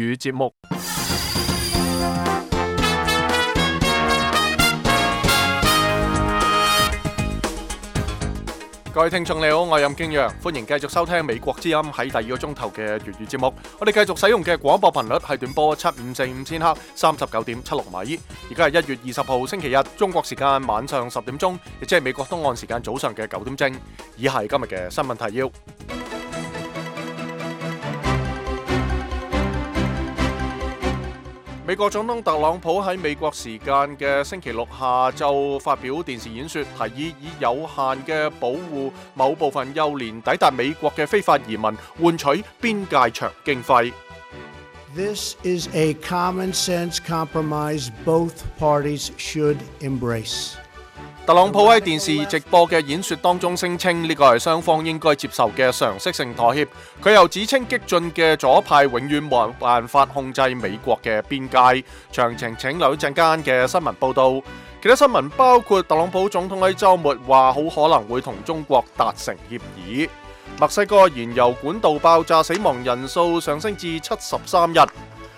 語節目。各位聽眾你好，我係任敬陽，歡迎繼續收聽美國之音喺第二個鐘頭嘅粵語節目。我哋繼續使用嘅廣播頻率係短波7545千赫39.76米。而家係1月20號星期日，中國時間晚上10點鐘，亦即係美國東岸時間早上嘅9點正。以下係今日嘅新聞提要。美國總統特朗普喺美國時間嘅星期六下晝發表電視演說，提議以有限嘅保護某部分幼年抵達美國嘅非法移民，換取邊界牆經費。This is a common sense compromise both parties should embrace. 特朗普喺電視直播嘅演說當中聲稱呢個係雙方應該接受嘅常識性妥協。佢又指稱激進嘅左派永遠冇辦法控制美國嘅邊界。詳情請留意陣間嘅新聞報道。其他新聞包括特朗普總統喺週末話好可能會同中國達成協議。墨西哥燃油管道爆炸，死亡人數上升至73人。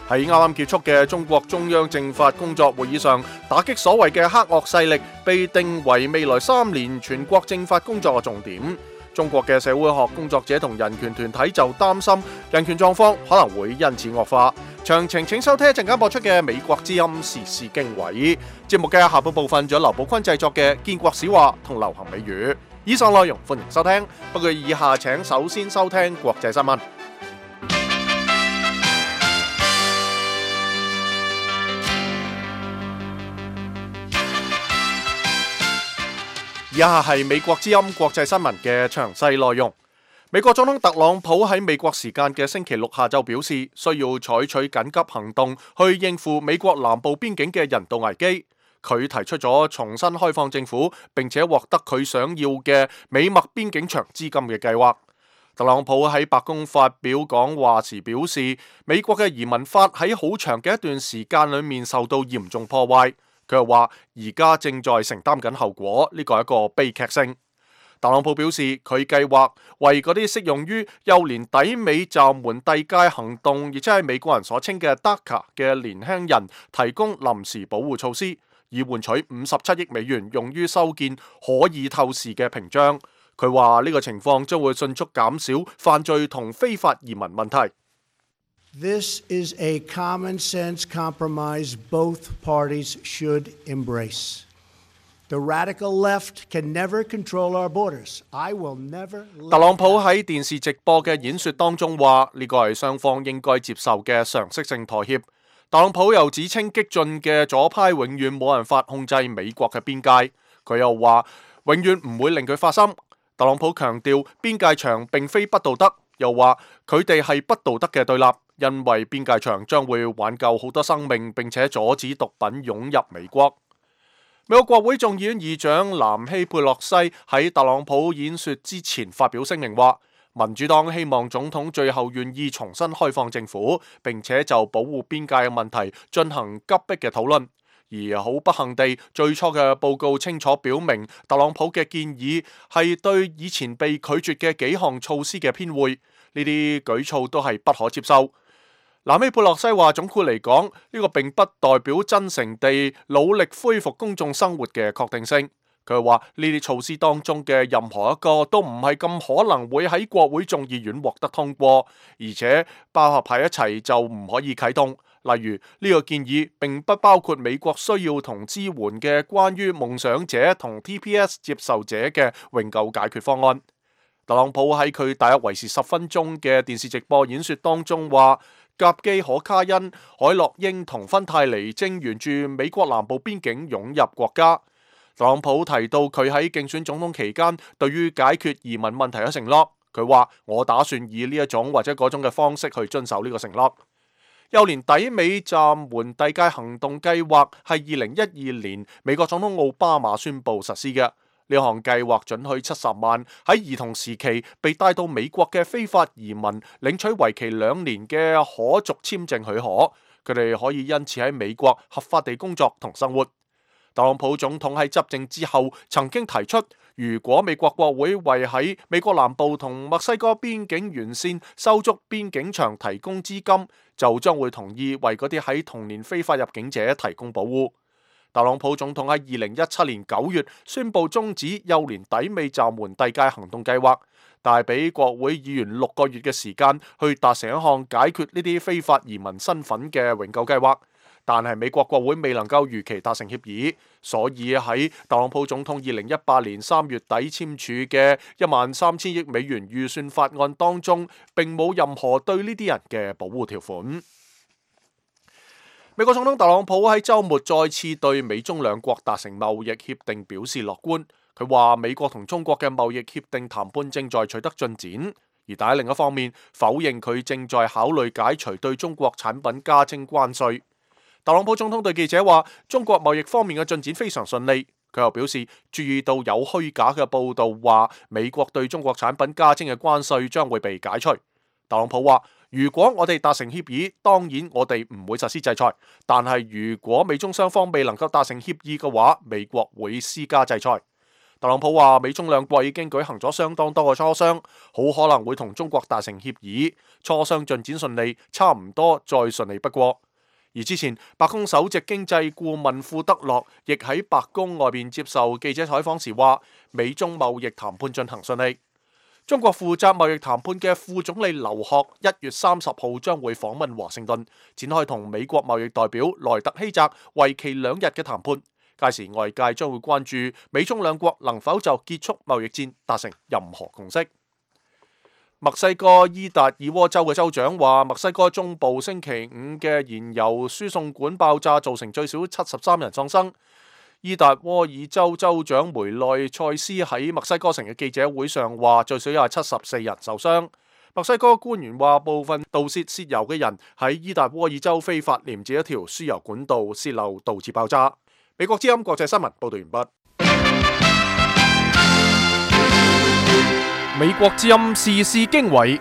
喺啱啱結束嘅中國中央政法工作會議上，打擊所謂嘅黑惡勢力被定為未來3年全國政法工作嘅重點。中國嘅社會學工作者同人權團體就擔心人權狀況可能會因此惡化。詳情請收聽一陣間播出嘅美國之音時事經緯節目嘅下半部分，仲有劉寶坤製作嘅建國史話同流行美語。以上內容歡迎收聽，不過以下請首先收聽國際新聞。以下係美國之音國際新聞嘅詳細內容。美國總統特朗普喺美國時間嘅星期六下晝表示，需要採取緊急行動去應付美國南部邊境嘅人道危機。佢提出咗重新開放政府，並且獲得佢想要嘅美墨邊境牆資金嘅計劃。特朗普喺白宮發表講話時表示，美國嘅移民法喺好長嘅一段時間裏面受到嚴重破壞。佢又話：而家正在承擔緊後果，呢個係一個悲劇性。特朗普表示，佢計劃為嗰啲適用於幼年抵美暫緩遞解行動，亦即係美國人所稱嘅 DACA 嘅年輕人提供臨時保護措施，以換取57億美元用於修建可以透視嘅屏障。佢話呢個情況將會迅速減少犯罪同非法移民問題。This is a common sense compromise both parties should embrace. The radical left can never control our borders. I will never. 特朗普喺電視直播嘅演說當中話，呢個係雙方應該接受嘅常識性妥協。特朗普又指稱激進嘅左派永遠冇辦法控制美國嘅邊界。佢又話永遠唔會令佢發生。特朗普強調邊界牆並非不道德，又話佢哋係不道德嘅對立。因為邊界牆將會挽救好多生命，並且阻止毒品湧入美國。美國國會眾議院議長南希佩洛西喺特朗普演說之前發表聲明話，民主黨希望總統最後願意重新開放政府，並且就保護邊界嘅問題進行急迫嘅討論。而好不幸地，最初嘅報告清楚表明，特朗普嘅建議係對以前被拒絕嘅幾項措施嘅偏會，呢啲舉措都係不可接受。南希佩洛西話：總括嚟講，呢個並不代表真誠地努力恢復公眾生活嘅確定性。佢話呢啲措施當中嘅任何一個都唔係咁可能會喺國會眾議院獲得通過，而且包合喺一齊就唔可以啟動。例如呢個建議並不包括美國需要同支援嘅關於夢想者同 TPS 接受者嘅永久解決方案。特朗普喺佢大約維持10分鐘嘅電視直播演說當中話，甲基可卡因、海洛英同芬太尼正沿住美國南部邊境湧入國家。特朗普提到佢喺競選總統期間對於解決移民問題嘅承諾，佢話：我打算以呢一種或者嗰種嘅方式去遵守呢個承諾。幼年抵美暫緩遞解行動計劃係2012年美國總統奧巴馬宣布實施嘅。呢項計劃准許70萬喺兒童時期被帶到美國嘅非法移民領取為期2年嘅可續簽證許可，佢哋可以因此喺美國合法地工作同生活。特朗普總統喺執政之後曾經提出，如果美國國會為喺美國南部同墨西哥邊境沿線修築邊境牆提供資金，就將會同意為嗰啲喺同年非法入境者提供保護。特朗普總統喺2017年9月宣布終止幼年抵美暫緩遞解行動計劃，但係俾國會議員6個月嘅時間去達成一項解決呢啲非法移民身份嘅永久計劃。但係美國國會未能夠如期達成協議，所以喺特朗普總統2018年3月底簽署嘅13000億美元預算法案當中，並冇任何對呢啲人嘅保護條款。美國總統特朗普喺週末再次對美中兩國達成貿易協定表示樂觀，佢話美國同中國嘅貿易協定談判正在取得進展，而但喺另一方面否認佢正在考慮解除對中國產品加徵關稅。特朗普總統對記者話，中國貿易方面嘅進展非常順利。佢又表示，注意到有虛假嘅報道話美國對中國產品加徵嘅關稅將會被解除。特朗普話，如果我哋達成協議，當然我哋唔會實施制裁，但係如果美中雙方未能夠達成協議嘅話，美國會施加制裁。特朗普話，美中兩國已經舉行咗相當多嘅磋商，好可能會同中國達成協議，磋商進展順利，差唔多再順利不過。而之前，白宮首席經濟顧問庫德洛亦喺白宮外邊接受記者採訪時話，美中貿易談判進行順利。中國負責貿易談判嘅副總理劉鶴1月30號將會訪問華盛頓，展開同美國貿易代表萊特希澤為期2日嘅談判。屆時外界將會關注美中兩國能否就結束貿易戰達成任何共識。墨西哥伊達爾沃州嘅州長話，墨西哥中部星期5嘅燃油輸送管爆炸，造成最少73人喪生。伊達沃爾州州長梅內塞斯喺墨西哥城嘅記者會上話，最少有74人受傷。墨西哥官員話，部分盜竊油嘅人喺伊達沃爾州非法廉接一條輸油管道洩漏，導致爆炸。美國之音國際新聞報道完畢。美國之音時事經緯，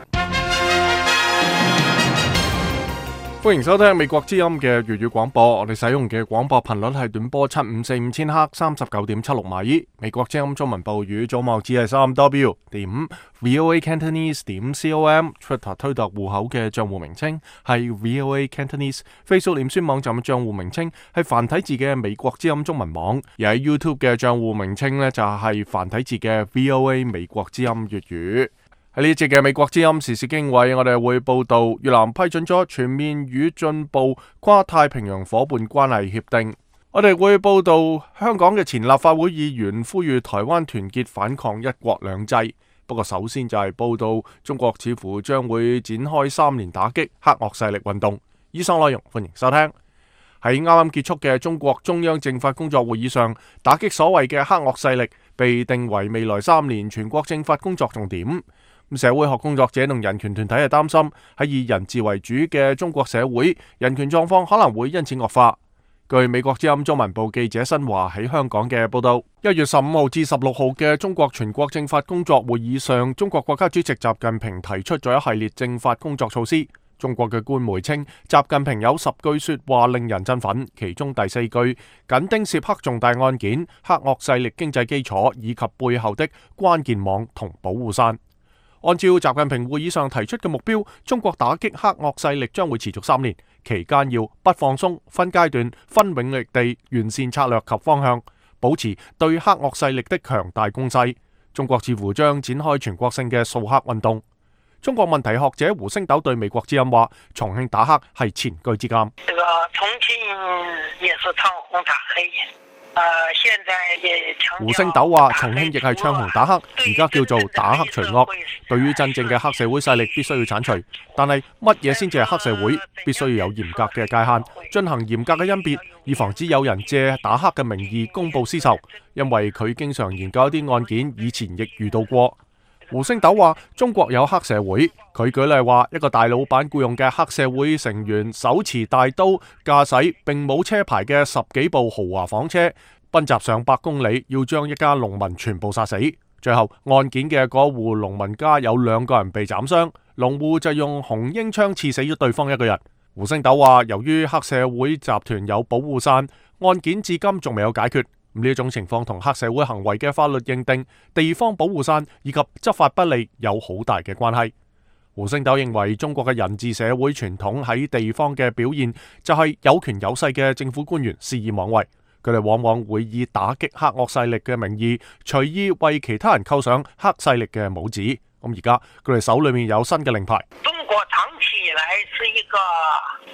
歡迎收聽美國之音嘅粵語廣播。我哋使用嘅廣播頻率係短波7545千赫39.76米。美國之音中文部語組網址係3w.voacantonese.com。Twitter 推特戶口嘅賬戶名稱係 VOA Cantonese。Facebook 臉書網站嘅賬戶名稱係繁體字嘅美國之音中文網。而喺 YouTube 嘅賬戶名稱呢，就係繁體字嘅 VOA 美國之音粵語。喺呢一節嘅美國之音時事經緯，我哋會報道越南批准咗全面與進步跨太平洋伙伴關係協定。我哋會報道香港嘅前立法會議員呼籲台灣團結反抗一國兩制。不過首先就係報道中國似乎將會展開3年打擊黑惡勢力運動。以上內容歡迎收聽。喺啱啱結束嘅中國中央政法工作會議上，打擊所謂嘅黑惡勢力被定為未來3年全國政法工作重點。社會學工作者同人權團體係擔心喺以人治為主嘅中國社會，人權狀況可能會因此惡化。據美國之音中文部記者新華喺香港嘅報道，1月15號至16號嘅中國全國政法工作會議上，中國國家主席習近平提出咗一系列政法工作措施。中國嘅官媒稱，習近平有10句說話令人振奮，其中第4句緊盯涉黑重大案件、黑惡勢力經濟基礎以及背後的關鍵網同保護傘。按照習近平會議上提出嘅目標，中國打擊黑惡勢力將會持續3年，期間要不放鬆、分階段、分領域地完善策略及方向，保持對黑惡勢力的強大攻勢。中國似乎將展開全國性嘅掃黑運動。中國問題學者胡星斗對美國之音話：重慶打黑係前車之鑑。這個重慶也是唱紅打黑。現在也強調。胡星斗話：重慶亦係唱紅打黑，而家叫做打黑除惡。對於真正嘅黑社會勢力，必須要鏟除。但係乜嘢先至係黑社會？必須要有嚴格嘅界限，進行嚴格嘅甄別，以防止有人借打黑嘅名義公報私仇。因為佢經常研究一啲案件，以前亦遇到過。胡星斗話：中國有黑社會，佢舉例話，一個大老闆僱用嘅黑社會成員手持大刀，駕駛並冇車牌嘅10幾部豪華房車，奔襲上百公里，要將一家農民全部殺死。最後案件嘅嗰戶農民家有2個人被斬傷，農戶就用紅纓槍刺死咗對方1個人。胡星斗話，由於黑社會集團有保護傘，案件至今仲未有解決。呢一種情況同黑社會行為嘅法律認定、地方保護傘以及執法不力有好大嘅關係。胡星斗認為，中國嘅人治社會傳統喺地方嘅表現就係有權有勢嘅政府官員肆意妄為，佢哋往往會以打擊黑惡勢力嘅名義，隨意為其他人扣上黑勢力嘅帽子。咁而家佢哋手裏面有新嘅令牌。中國長期以來是一個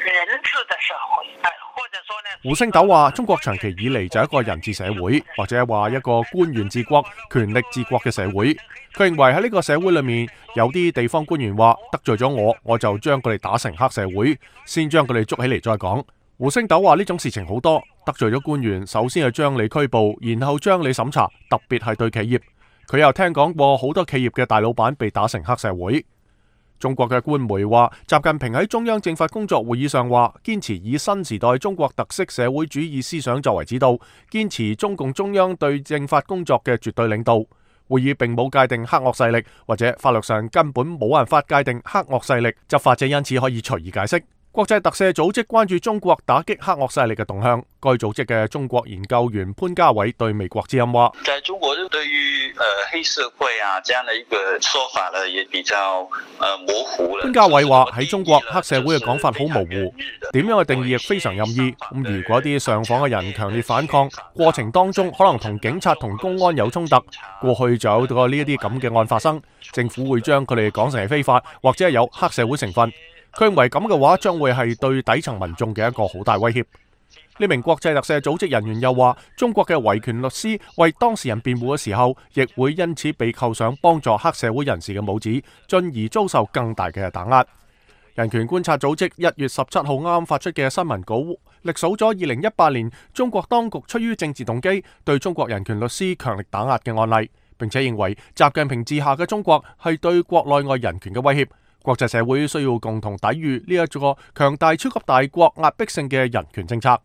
人治的社會，或者說呢，胡星斗話，中國長期以嚟就係一個人治社會，或者話一個官員治國、權力治國嘅社會。佢認為喺呢個社會裏面，有啲地方官員話得罪咗我就將佢哋打成黑社會，先將佢哋捉起嚟再講。胡星斗話呢種事情好多，得罪咗官員，首先係將你拘捕，然後將你審查，特別係對企業。佢又聽講過好多企業嘅大老闆被打成黑社會。中國嘅官媒話，習近平喺中央政法工作會議上話，堅持以新時代中國特色社會主義思想作為指導，堅持中共中央對政法工作嘅絕對領導。會議並冇界定黑惡勢力，或者法律上根本冇辦法界定黑惡勢力，執法者因此可以隨意解釋。國際特赦組織關注中國打擊黑惡勢力嘅動向。該組織嘅中國研究員潘家偉對美國之音話：在中國對於黑社會啊這樣的一個說法呢，也比較模糊了。潘家偉話喺中國黑社會嘅講法好模糊，點樣嘅定義亦非常任意。咁如果啲上訪嘅人強烈反抗，過程當中可能同警察同公安有衝突，過去就有過呢一啲咁嘅案發生，政府會將佢哋講成係非法，或者係有黑社會成分。佢認為咁嘅話，將會係對底層民眾嘅一個好大威脅。呢名國際特赦組織人員又話，中國嘅維權律師為當事人辯護嘅時候，亦會因此被扣上幫助黑社會人士嘅帽子，進而遭受更大嘅打壓。人權觀察組織1月17號啱發出嘅新聞稿，歷數咗2018年中國當局出於政治動機對中國人權律師強力打壓嘅案例，並且認為習近平治下嘅中國係對國內外人權嘅威脅。國際社會需要共同抵禦呢一個強大超級大國壓迫性嘅人權政策。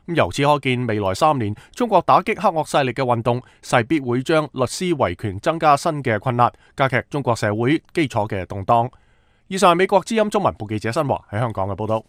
由此可見，未來3年中國打擊黑惡勢力嘅運動勢必會將律師維權增加新嘅困難，加劇中國社會基礎嘅動盪。以上係美國之音中文部記者新華喺香港嘅報道。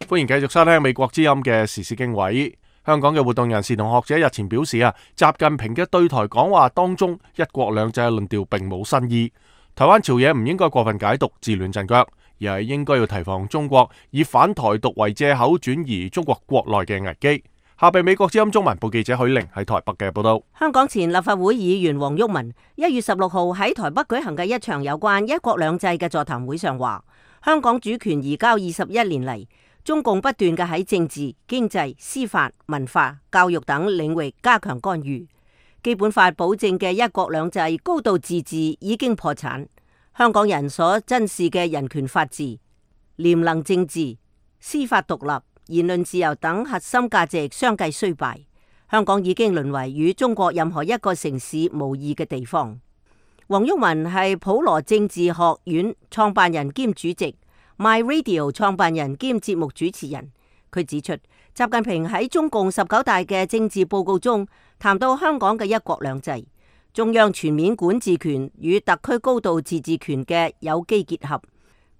歡迎繼續收聽美國之音嘅時事經緯。香港嘅活動人士同學者日前表示習近平嘅對台講話當中，一國兩制嘅論調並冇新意。台灣朝野唔應該過分解讀，自亂陣腳，而係應該要提防中國以反台獨為借口轉移中國國內嘅危機。下被美國之音中文部記者許玲喺台北嘅報道。香港前立法會議員黃毓民1月16號喺台北舉行嘅一場有關一國兩制嘅座談會上話，香港主權移交21年嚟，中共不斷嘅喺政治、經濟、司法、文化、教育等領域加強干預。基本法保證嘅一國兩制、高度自治已經破產。香港人所珍視嘅人權法治、廉能政治、司法獨立、言論自由等核心價值相繼衰敗。香港已經淪為與中國任何一個城市無異嘅地方。黃毓民係普羅政治學院創辦人兼主席， My Radio 創辦人兼節目主持人。佢指出，習近平喺中共19大嘅政治報告中談到香港嘅一國兩制，中央全面管治權與特區高度自治權嘅有機結合，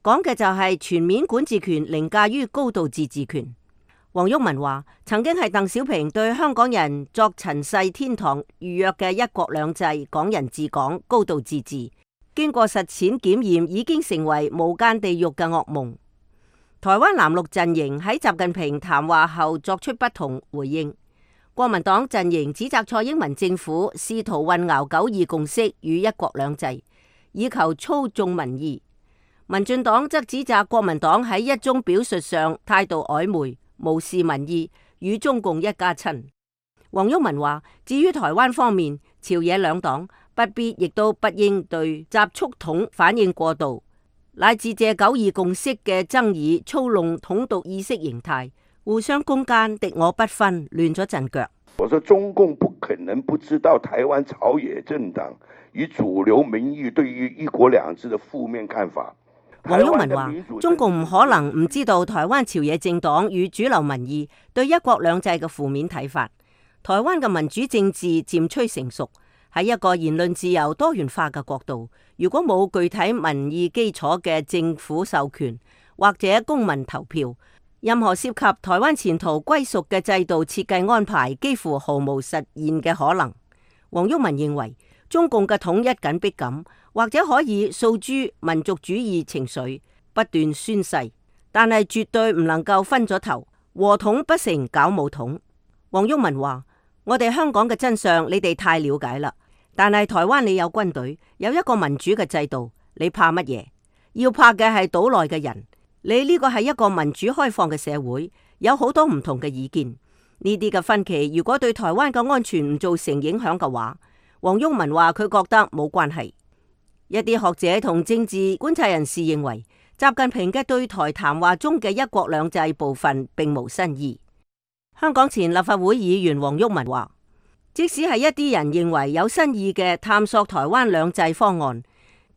講嘅就係全面管治權凌駕於高度自治權。黃毓民話，曾經係鄧小平對香港人作塵世天堂預約嘅一國兩制、港人治港、高度自治，經過實踐檢驗，已經成為無間地獄嘅噩夢。台灣藍綠陣營喺習近平談話後作出不同回應。國民黨陣營指責蔡英文政府試圖混淆9·2共識與一國兩制，以求操縱民意。民進黨則指責國民黨喺一中表述上態度曖昧，無視民意，與中共一家親。黃毓民話，至於台灣方面，朝野兩黨不必亦都不應對習促統反應過度，乃至借9·2共識嘅爭議操弄統獨意識形態，互相攻訐，敵我不分，亂咗陣腳。我說中共不可能不知道台灣朝野政黨與主流民意對於一國兩制的負面看法。黃毓民話，中共唔可能唔知道台灣朝野政黨與主流民意對一國兩制嘅負面睇法。台灣嘅民主政治漸趨成熟，喺一個言論自由多元化嘅國度，如果冇具體民意基礎嘅政府授權或者公民投票，任何涉及台灣前途歸屬嘅制度設計安排幾乎毫無實現嘅可能。黃毓民認為，中共嘅統一緊迫感或者可以訴諸民族主義情緒，不斷宣誓，但係絕對唔能夠分咗頭，和統不成搞武統。黃毓民話：我哋香港嘅真相你哋太了解啦，但係台灣你有軍隊，有一個民主嘅制度，你怕乜嘢？要怕嘅係島內嘅人。你呢個係一個民主開放嘅社會，有好多唔同嘅意見。呢啲嘅分歧如果對台灣嘅安全唔造成影響嘅話，黃毓民話佢覺得冇關係。一啲學者同政治觀察人士認為，習近平嘅對台談話中嘅一國兩制部分並無新意。香港前立法會議員黃毓民話，即使係一啲人認為有新意嘅探索台灣兩制方案，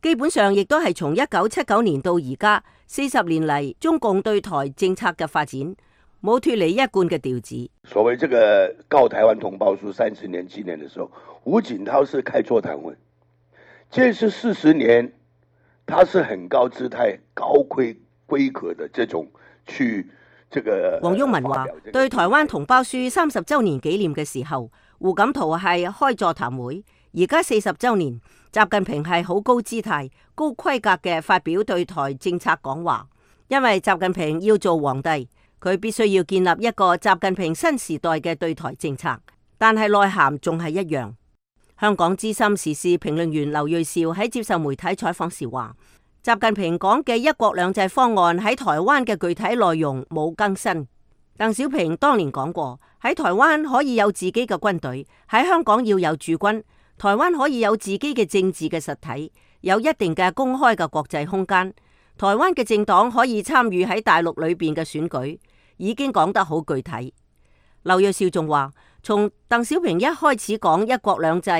基本上亦都係從1979年到而家40年嚟中共對台政策嘅發展，冇脫離一貫嘅調子。所謂這個告台灣同胞書30年紀念的時候，胡錦濤是開座談會，這是40年，他是很高姿態、高規格的這種去這個。黃毓民話：對台灣同胞書30週年紀念嘅時候，胡錦濤係開座談會，而家40週年。習近平係好高姿態、高規格嘅發表對台政策講話，因為習近平要做皇帝，佢必須要建立一個習近平新時代嘅對台政策，但係內涵仲係一樣。香港資深時事評論員劉銳紹喺接受媒體採訪時話：習近平講嘅一國兩制方案喺台灣嘅具體內容冇更新。鄧小平當年講過，喺台灣可以有自己嘅軍隊，喺香港要有駐軍。台灣可以有自己嘅政治嘅實體，有一定嘅公開嘅國際空間。台灣嘅政黨可以參與喺大陸裏邊嘅選舉，已經講得好具體。劉銳紹仲話，從鄧小平一開始講一國兩制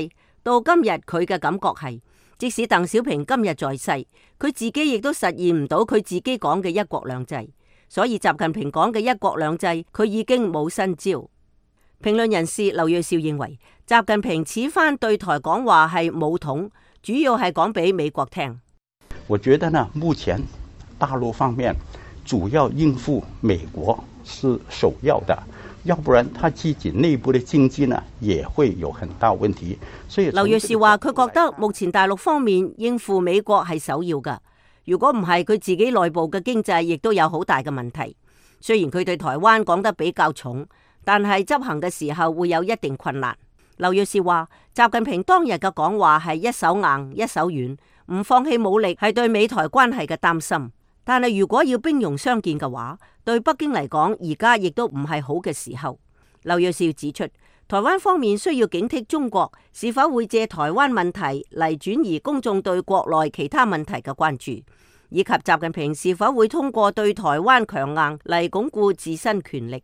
到今日，佢嘅感覺係，即使鄧小平今日在世，佢自己亦都實現唔到佢自己講嘅一國兩制。所以習近平講嘅一國兩制，佢已經冇新招。評論人士劉銳紹認為，習近平此番對台講話係武統，主要係講俾美國聽。我覺得呢，目前大陸方面主要應付美國是首要的，要不然他自己內部的經濟呢也會有很大問題。所以劉銳紹話，佢覺得目前大陸方面應付美國係首要㗎，如果唔係，佢自己內部嘅經濟亦都有好大嘅問題。雖然佢對台灣講得比較重，但係執行嘅時候會有一定困難。劉銳紹話，習近平當日嘅講話係一手硬一手軟，唔放棄武力係對美台關係嘅擔心。但係如果要兵戎相見嘅話，對北京嚟講而家亦都唔係好嘅時候。劉銳紹指出，台灣方面需要警惕中國是否會借台灣問題嚟轉移公眾對國內其他問題嘅關注，以及習近平是否會通過對台灣強硬嚟鞏固自身權力。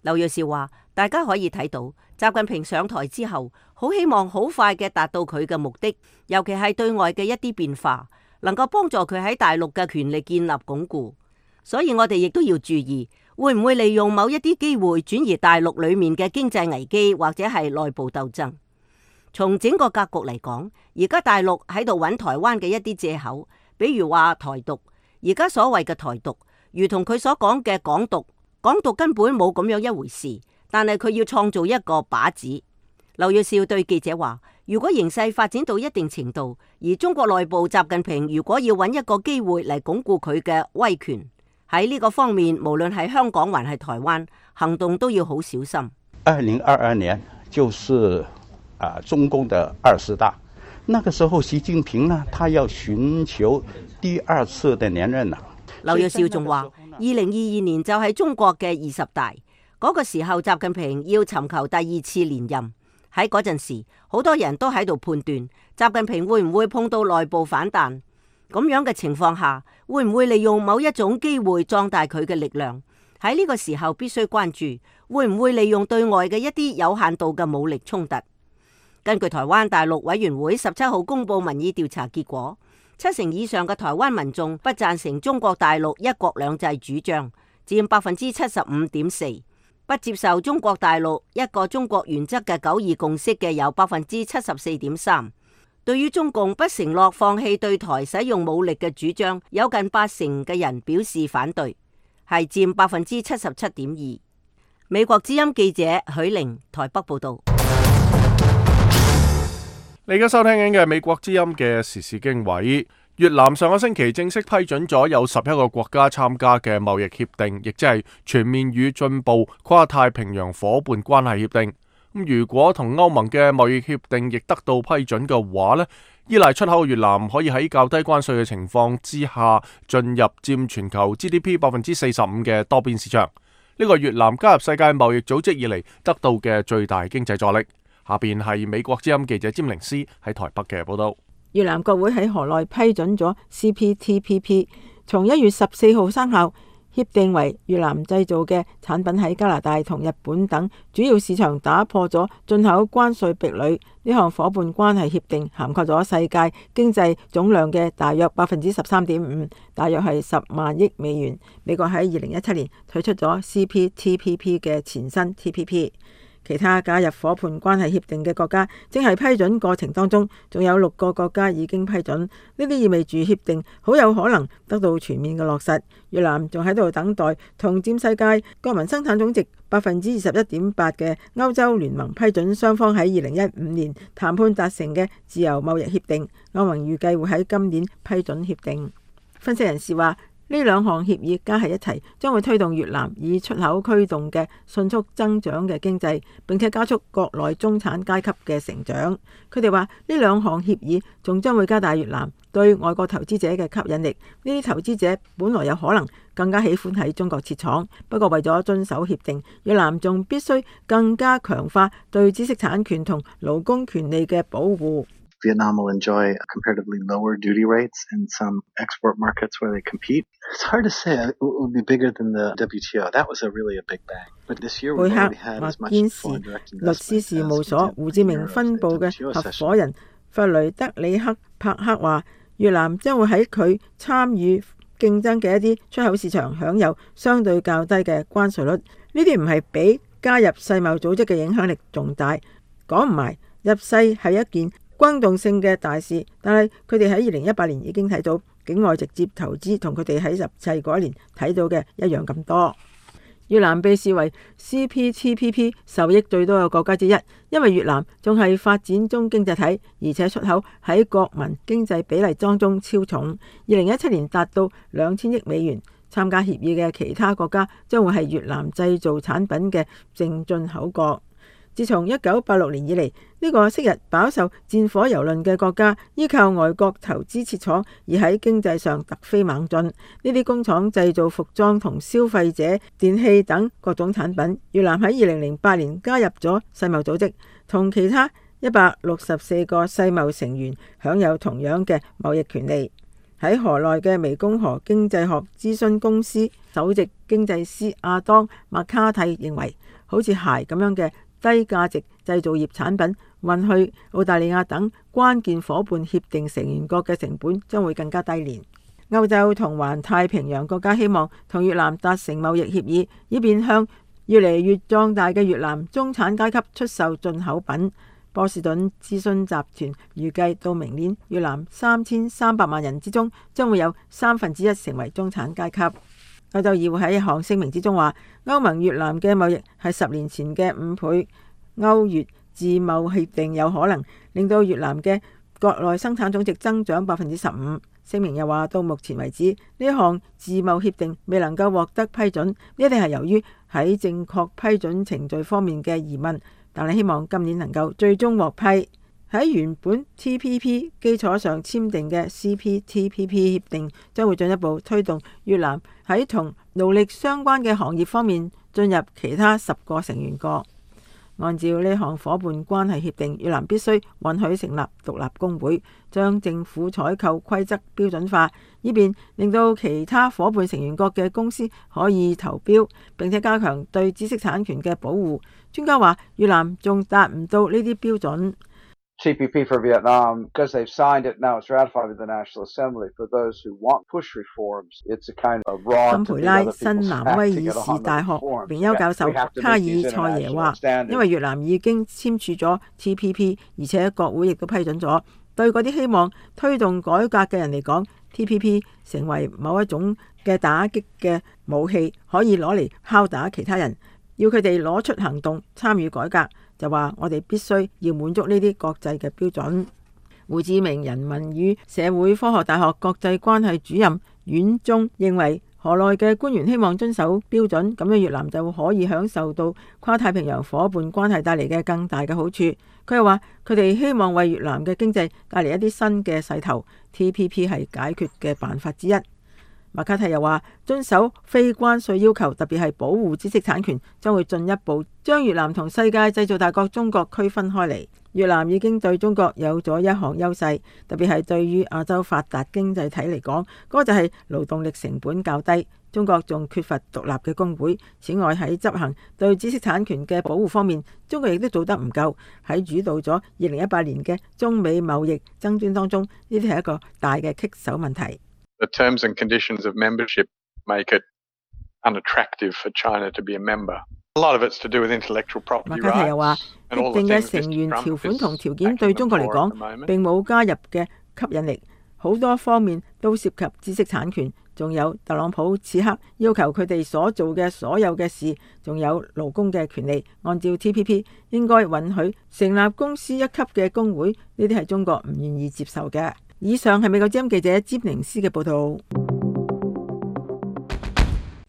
劉銳紹話，大家可以睇到習近平上台之後，好希望好快嘅達到佢嘅目的，尤其係對外嘅一啲變化，能夠幫助佢喺大陸嘅權力建立鞏固。所以我哋亦都要注意，會唔會利用某一啲機會轉移大陸裏面嘅經濟危機或者係內部鬥爭。從整個格局嚟講，而家大陸喺度揾台灣嘅一啲借口，比如話台獨。而家所謂嘅台獨，如同佢所講嘅港獨，港獨根本冇咁樣一回事，但係佢要創造一個靶子。劉銳紹對記者話，如果形勢發展到一定程度，而中國內部習近平如果要揾一個機會嚟鞏固佢嘅威權，喺呢個方面，無論係香港還係台灣，行動都要好小心。2022年就是中共的20大，那個時候習近平呢，他要尋求第2次的連任啦。劉銳紹仲話，2022年就係中國嘅20大，嗰個時候習近平要尋求第2次連任。喺嗰陣時，好多人都喺度判斷習近平會唔會碰到內部反彈，咁樣嘅情況下，會唔會利用某一種機會壯大佢嘅力量？喺呢個時候必須關注，會唔會利用對外嘅一啲有限度嘅武力衝突？根據台灣大陸委員會17號公布民意調查結果，70%以上嘅台灣民眾不贊成中國大陸一國兩制主張，佔75.4%。不接受中國大陸一個中國原則嘅九二共識嘅有74.3%，對於中共不承諾放棄對台使用武力嘅主張，有近80%嘅人表示反對，係佔77.2%。美國之音記者許玲台北報道。你而家收聽緊嘅係美國之音嘅時事經緯。越南上個星期正式批准咗有11個國家參加嘅貿易協定，亦即係全面與進步跨太平洋夥伴關係協定。如果同歐盟嘅貿易協定亦得到批准嘅話呢，依賴出口嘅越南可以喺較低關稅嘅情況之下進入佔全球 GDP 45%嘅多邊市場。呢個越南加入世界貿易組織以嚟得到嘅最大經濟助力。下邊係美國之音記者詹寧斯喺台北嘅報道。越南國會喺河內批准咗 CPTPP， 從1月14號生效。協定為越南製造嘅產品喺加拿大同日本等主要市場打破咗進口關稅壁壘。呢項伙伴關係協定涵蓋咗世界經濟總量嘅大約13.5%，大約係10萬億美元。美國喺2017年退出咗 CPTPP 嘅前身 TPP。其他加入伙伴關係協定嘅國家正係批准過程當中，仲有6個國家已經批准。呢啲意味住協定好有可能得到全面嘅落實。越南仲喺度等待同佔世界國民生產總值21.8%嘅歐洲聯盟批准雙方喺2015年談判達成嘅自由貿易協定。歐盟預計會喺今年批准協定。分析人士話，呢2項協議加喺一齊，將會推動越南以出口驅動嘅迅速增長嘅經濟，並且加速國內中產階級嘅成長。佢哋話呢2項協議仲將會加大越南對外國投資者嘅吸引力。呢啲投資者本來有可能更加喜歡喺中國設廠，不過為咗遵守協定，越南仲必須更加強化對知識產權同勞工權利嘅保護。Vietnam will enjoy comparatively lower duty rates in some export markets where they compete. It's hard to say it will be bigger than the WTO. That was really a big bang. But this year we've already had as much foreign direct investment. 律師事務所胡志明分部嘅合夥人弗雷德里克帕克話，越南將會喺佢參與競爭嘅一啲出口市場享有相對較低嘅關稅率。呢啲唔係比加入世貿組織嘅影響力仲大。講唔埋，入世係一件轟動性嘅大事，但係佢哋喺2018年已經睇到境外直接投資同佢哋喺入世嗰一年睇到嘅一樣咁多。越南被視為 CPTPP 受益最多嘅國家之一，因為越南仲係發展中經濟體，而且出口喺國民經濟比例當中超重。2017年達到2000億美元。參加協議嘅其他國家將會係越南製造產品嘅淨進口國。自從1986年以嚟，呢個昔日飽受戰火蹂躪嘅國家，依靠外國投資設廠，而喺經濟上突飛猛進。呢啲工廠製造服裝同消費者電器等各種產品。越南喺2008年加入咗世貿組織，同其他164個世貿成員享有同樣嘅貿易權利。喺河內嘅湄公河經濟學諮詢公司首席經濟師阿當麥卡蒂認為，好似鞋咁樣嘅低價值製造業產品運去澳大利亞等關鍵夥伴協定成員國嘅成本將會更加低廉。歐洲同環太平洋國家希望同越南達成貿易協議，以便向越嚟越壯大嘅越南中產階級出售進口品。波士頓諮詢集團預計到明年，越南3300萬人之中將會有1/3成為中產階級。歐洲議會喺一項聲明之中話，歐盟越南嘅貿易係10年前嘅5倍。歐越自貿協定有可能令到越南嘅國內生產總值增長15%。聲明又話，到目前為止，呢項自貿協定未能夠獲得批准，一定係由於喺正確批准程序方面嘅疑問，但係希望今年能夠最終獲批。喺原本 TPP 基礎上簽訂嘅 CPTPP 協定將會進一步推動越南喺同勞力相關嘅行業方面進入其他10個成員國。按照呢項伙伴關係協定，越南必須允許成立獨立工會，將政府採購規則標準化，以便令到其他伙伴成員國嘅公司可以投標，並且加強對知識產權嘅保護。專家話，越南仲達唔到呢啲標準。TPP for Vietnam, because they've signed it, now it's ratified with the National Assembly. For those who want push reforms, it's a kind of raw. 坎培拉新南威爾士大學榮休教授卡爾塞耶話，因為越南已經簽署咗 TPP， 而且國會亦都批准咗，對嗰啲希望推動改革嘅人嚟講，TPP 成為某一種嘅打擊嘅武器，可以攞嚟敲打其他人，要佢哋攞出行動參與改革，就話我哋必須要滿足呢啲國際嘅標準。胡志明人民與社會科學大學國際關係主任阮忠認為，河內嘅官員希望遵守標準，咁樣越南就可以享受到跨太平洋夥伴關係帶嚟嘅更大嘅好處。佢又話，佢哋希望為越南嘅經濟帶嚟一啲新嘅勢頭， TPP 係解決嘅辦法之一。麥卡蒂又話，遵守非關稅要求，特別係保護知識產權，將會進一步將越南同世界製造大國中國區分開嚟。越南已經對中國有咗一項優勢，特別係對於亞洲發達經濟體嚟講，嗰個就係勞動力成本較低。中國仲缺乏獨立嘅工會。此外，喺執行對知識產權嘅保護方面，中國亦都做得唔夠。喺主導咗2018年嘅中美貿易爭端當中，呢啲係一個大嘅棘手問題。The terms and conditions of membership make it unattractive for China to be a member. A lot of it's to do with intellectual property rights. 麥卡蒂又話，協定嘅成員條款同條件對中國嚟講並冇加入嘅吸引力，好多方面都涉及知識產權。仲有特朗普此刻要求佢哋所做嘅所有嘅事，仲有勞工嘅權利，按照 TPP 應該允許成立公司一級嘅工會，呢啲係中國唔願意接受嘅。以上係美國之音記者詹寧斯嘅報道。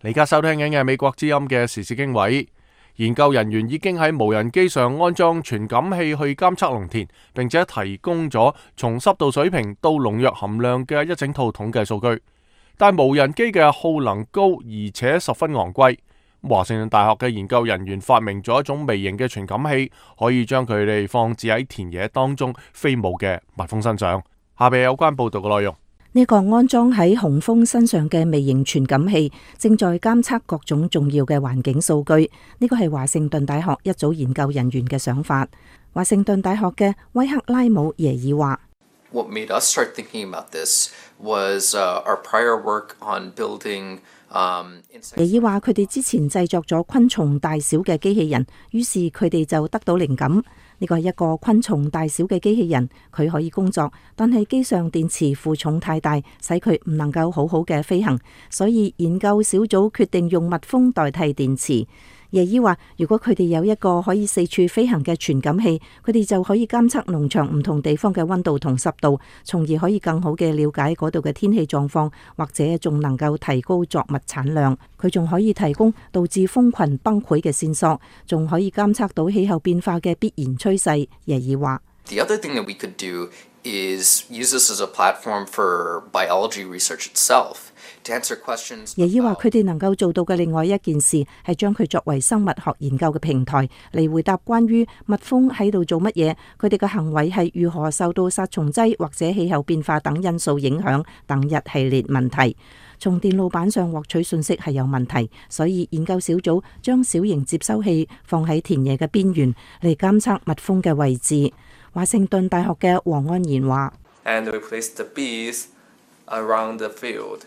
你而家收聽緊嘅美國之音嘅時事經緯，研究人員已經喺無人機上安裝傳感器去監測農田，並且提供咗從濕度水平到農藥含量嘅一整套統計數據。但無人機嘅耗能高，而且十分昂貴。華盛頓大學嘅研究人員發明咗一種微型嘅傳感器，可以將佢哋放置喺田野當中飛舞嘅蜜蜂身上。下邊有關報道嘅內容。呢個安裝喺紅蜂身上嘅微型傳感器，正在監測各種重要嘅環境數據。呢個係華盛頓大學一組研究人員嘅想法。華盛頓大學嘅威克拉姆耶爾話：What made us start thinking about this was our prior work on building。耶爾話佢哋之前製作咗昆蟲大小嘅機器人，於是佢哋就得到靈感。呢個係一個昆蟲大小嘅機器人，佢可以工作，但係機上電池負重太大，使佢唔能夠好好嘅飛行，所以研究小組決定用蜜蜂代替電池。耶爾話，如果佢哋有一個可以四處飛行嘅傳感器，佢哋就可以監測農場唔同地方嘅溫度同濕度，從而可以更好嘅了解嗰度嘅天氣狀況，或者仲能夠提高作物產量。佢仲可以提供導致蜂群崩潰嘅線索，仲可以監測到氣候變化嘅必然趨勢。耶爾話：The other thing that we could do is use this as a platform for biology research itself.耶爾話：佢哋能夠做到嘅另外一件事係將佢作為生物學研究嘅平台，嚟回答關於蜜蜂喺度做乜嘢，佢哋嘅行為係如何受到殺蟲劑或者氣候變化等因素影響等一系列問題。從電路板上獲取信息係有問題，所以研究小組將小型接收器放喺田野嘅邊緣嚟監測蜜蜂嘅位置。華盛頓大學嘅黃安賢話：And we place the bees around the field.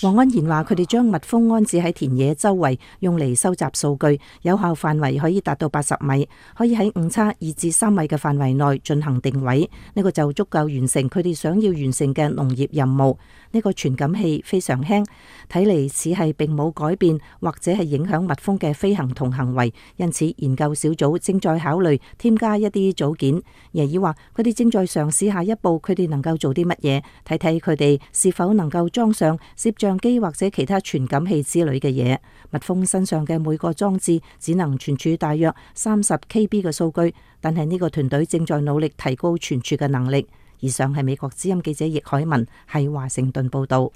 黃安賢話：佢哋將蜜蜂安置喺田野周圍，用嚟收集數據，有效範圍可以達到80米，可以喺誤差2至3米嘅範圍內進行定位。呢個就足夠完成佢哋想要完成嘅農業任務。呢個傳感器非常輕，睇嚟似係並冇改變或者係影響蜜蜂嘅飛行同行為，因此研究小組正在考慮添加一啲組件。耶爾話：佢哋正在嘗試下一步，佢哋能夠做啲乜嘢，睇睇佢哋是否能夠裝上攝像機或者其他傳感器之類嘅嘢。蜜蜂身上嘅每個裝置只能存儲大約30 KB 嘅數據，但係呢個團隊正在努力提高存儲嘅能力。以上係美國之音記者易海文喺華盛頓報道。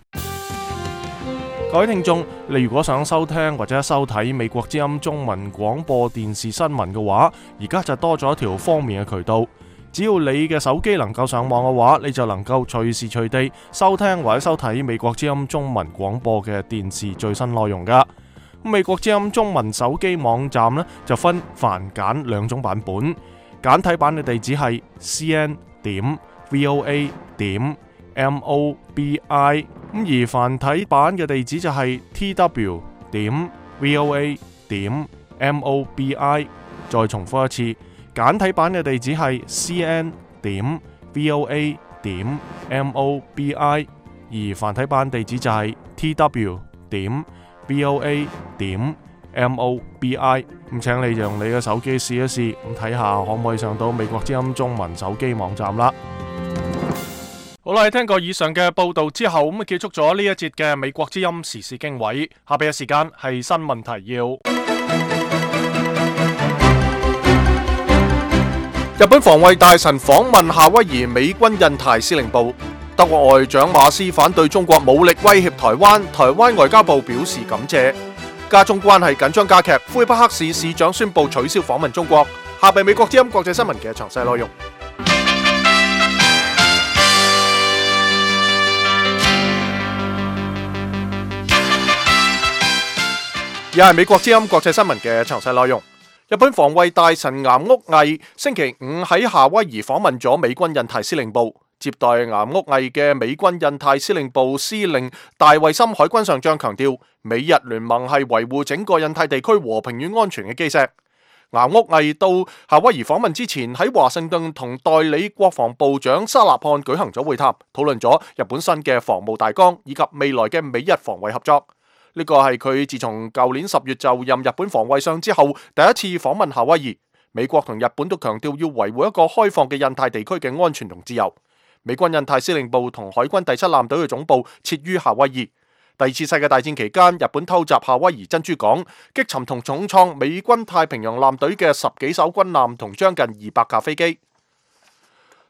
各位聽眾，你如果想收聽或者收睇美國之音中文廣播電視新聞嘅話，而家就多咗一條方便嘅渠道。只要你嘅手機能夠上網嘅話，你就能夠隨時隨地收聽或者收睇美國之音中文廣播嘅電視最新內容噶。美國之音中文手機網站呢，就分繁簡兩種版本，簡體版嘅地址係 cn.voa.mobi， 而繁體版嘅地址就係 tw.voa.mobi。再重複一次簡體版嘅地址係 cn.voa.mobi， 而繁體版地址就係 tw.voa.mobi。咁請你用你嘅手機試一試，咁睇下可唔可以上到美國之音中文手機網站啦。好啦，聽過以上嘅報道之後，咁結束咗呢一節嘅美國之音時事經緯。下邊嘅時間係新聞提要。日本防衛大臣訪問夏威夷美軍印太司令部。德國外長馬斯反對中國武力威脅台灣，台灣外交部表示感謝。加中關係緊張加劇，魁北克市市長宣布取消訪問中國。下邊美國之音國際新聞嘅詳細內容。而係美國之音國際新聞嘅詳細內容。日本防衛大臣岩屋毅星期五喺夏威夷訪問咗美軍印太司令部，接待岩屋毅嘅美軍印太司令部司令大衛森海軍上將強調，美日聯盟係維護整個印太地區和平與安全嘅基石。岩屋毅到夏威夷訪問之前，喺華盛頓同代理國防部長沙納漢舉行咗會談，討論咗日本新嘅防務大綱以及未來嘅美日防衛合作。呢個係佢自從舊年10月就任日本防衛相之後第一次訪問夏威夷。美國同日本都強調要維護一個開放嘅印太地區嘅安全同自由。美軍印太司令部同海軍第7艦隊嘅總部設於夏威夷。第二次世界大戰期間，日本偷襲夏威夷珍珠港，擊沉同重創美軍太平洋艦隊嘅10幾艘軍艦同將近200架飛機。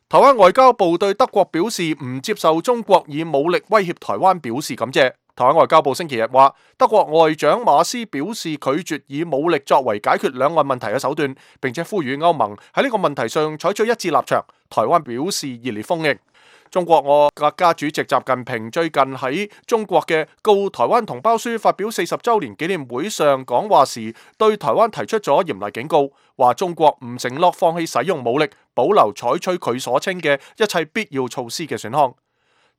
台灣外交部對德國表示唔接受中國以武力威脅台灣表示感謝。台灣外交部星期日話，德國外長馬斯表示拒絕以武力作為解決兩岸問題嘅手段，並且呼籲歐盟喺呢個問題上採取一致立場。台灣表示熱烈歡迎。中國國家主席習近平最近喺中國嘅告台灣同胞書發表40週年紀念會上講話時，對台灣提出咗嚴厲警告，話中國唔承諾放棄使用武力，保留採取佢所稱嘅一切必要措施嘅選項。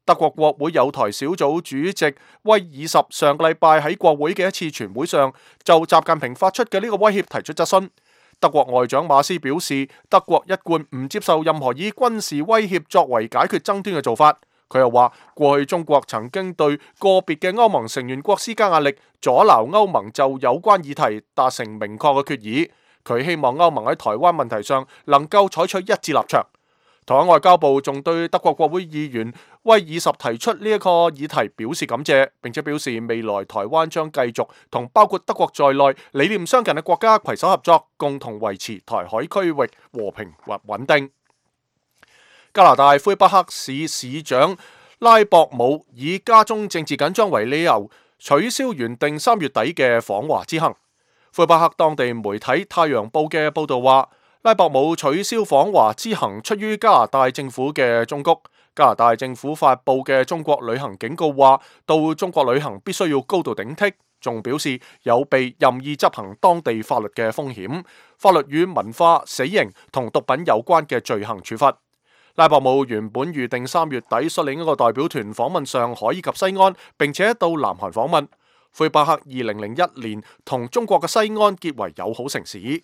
德國國會友台小組主席威爾什上個禮拜喺國會嘅一次全會上，就習近平發出嘅呢個威脅提出質詢。德國外長馬斯表示，德國一貫唔接受任何以軍事威脅作為解決爭端嘅做法。佢又話，過去中國曾經對個別嘅歐盟成員國施加壓力，阻撓歐盟就有關議題達成明確嘅決議。佢希望歐盟喺台灣問題上能夠採取一致立場。台灣外交部仲對德國國會議員威爾什提出呢一個議題表示感謝，並且表示未來台灣將繼續同包括德國在內理念相近嘅國家攜手合作，共同維持台海區域和平或穩定。加拿大魁北克市市長拉博姆以家中政治緊張為理由，取消原定3月底嘅訪華之行。魁北克當地媒體《太陽報》嘅報導話，拉博姆取消訪華之行出於加拿大政府嘅忠告。加拿大政府發布嘅中國旅行警告話，到中國旅行必須要高度警惕，仲表示有被任意執行當地法律嘅風險，法律與文化、死刑同毒品有關嘅罪行處罰。拉博姆原本預定3月底率領一個代表團訪問上海以及西安，並且到南韓訪問。魁北克2001年同中國嘅西安結為友好城市。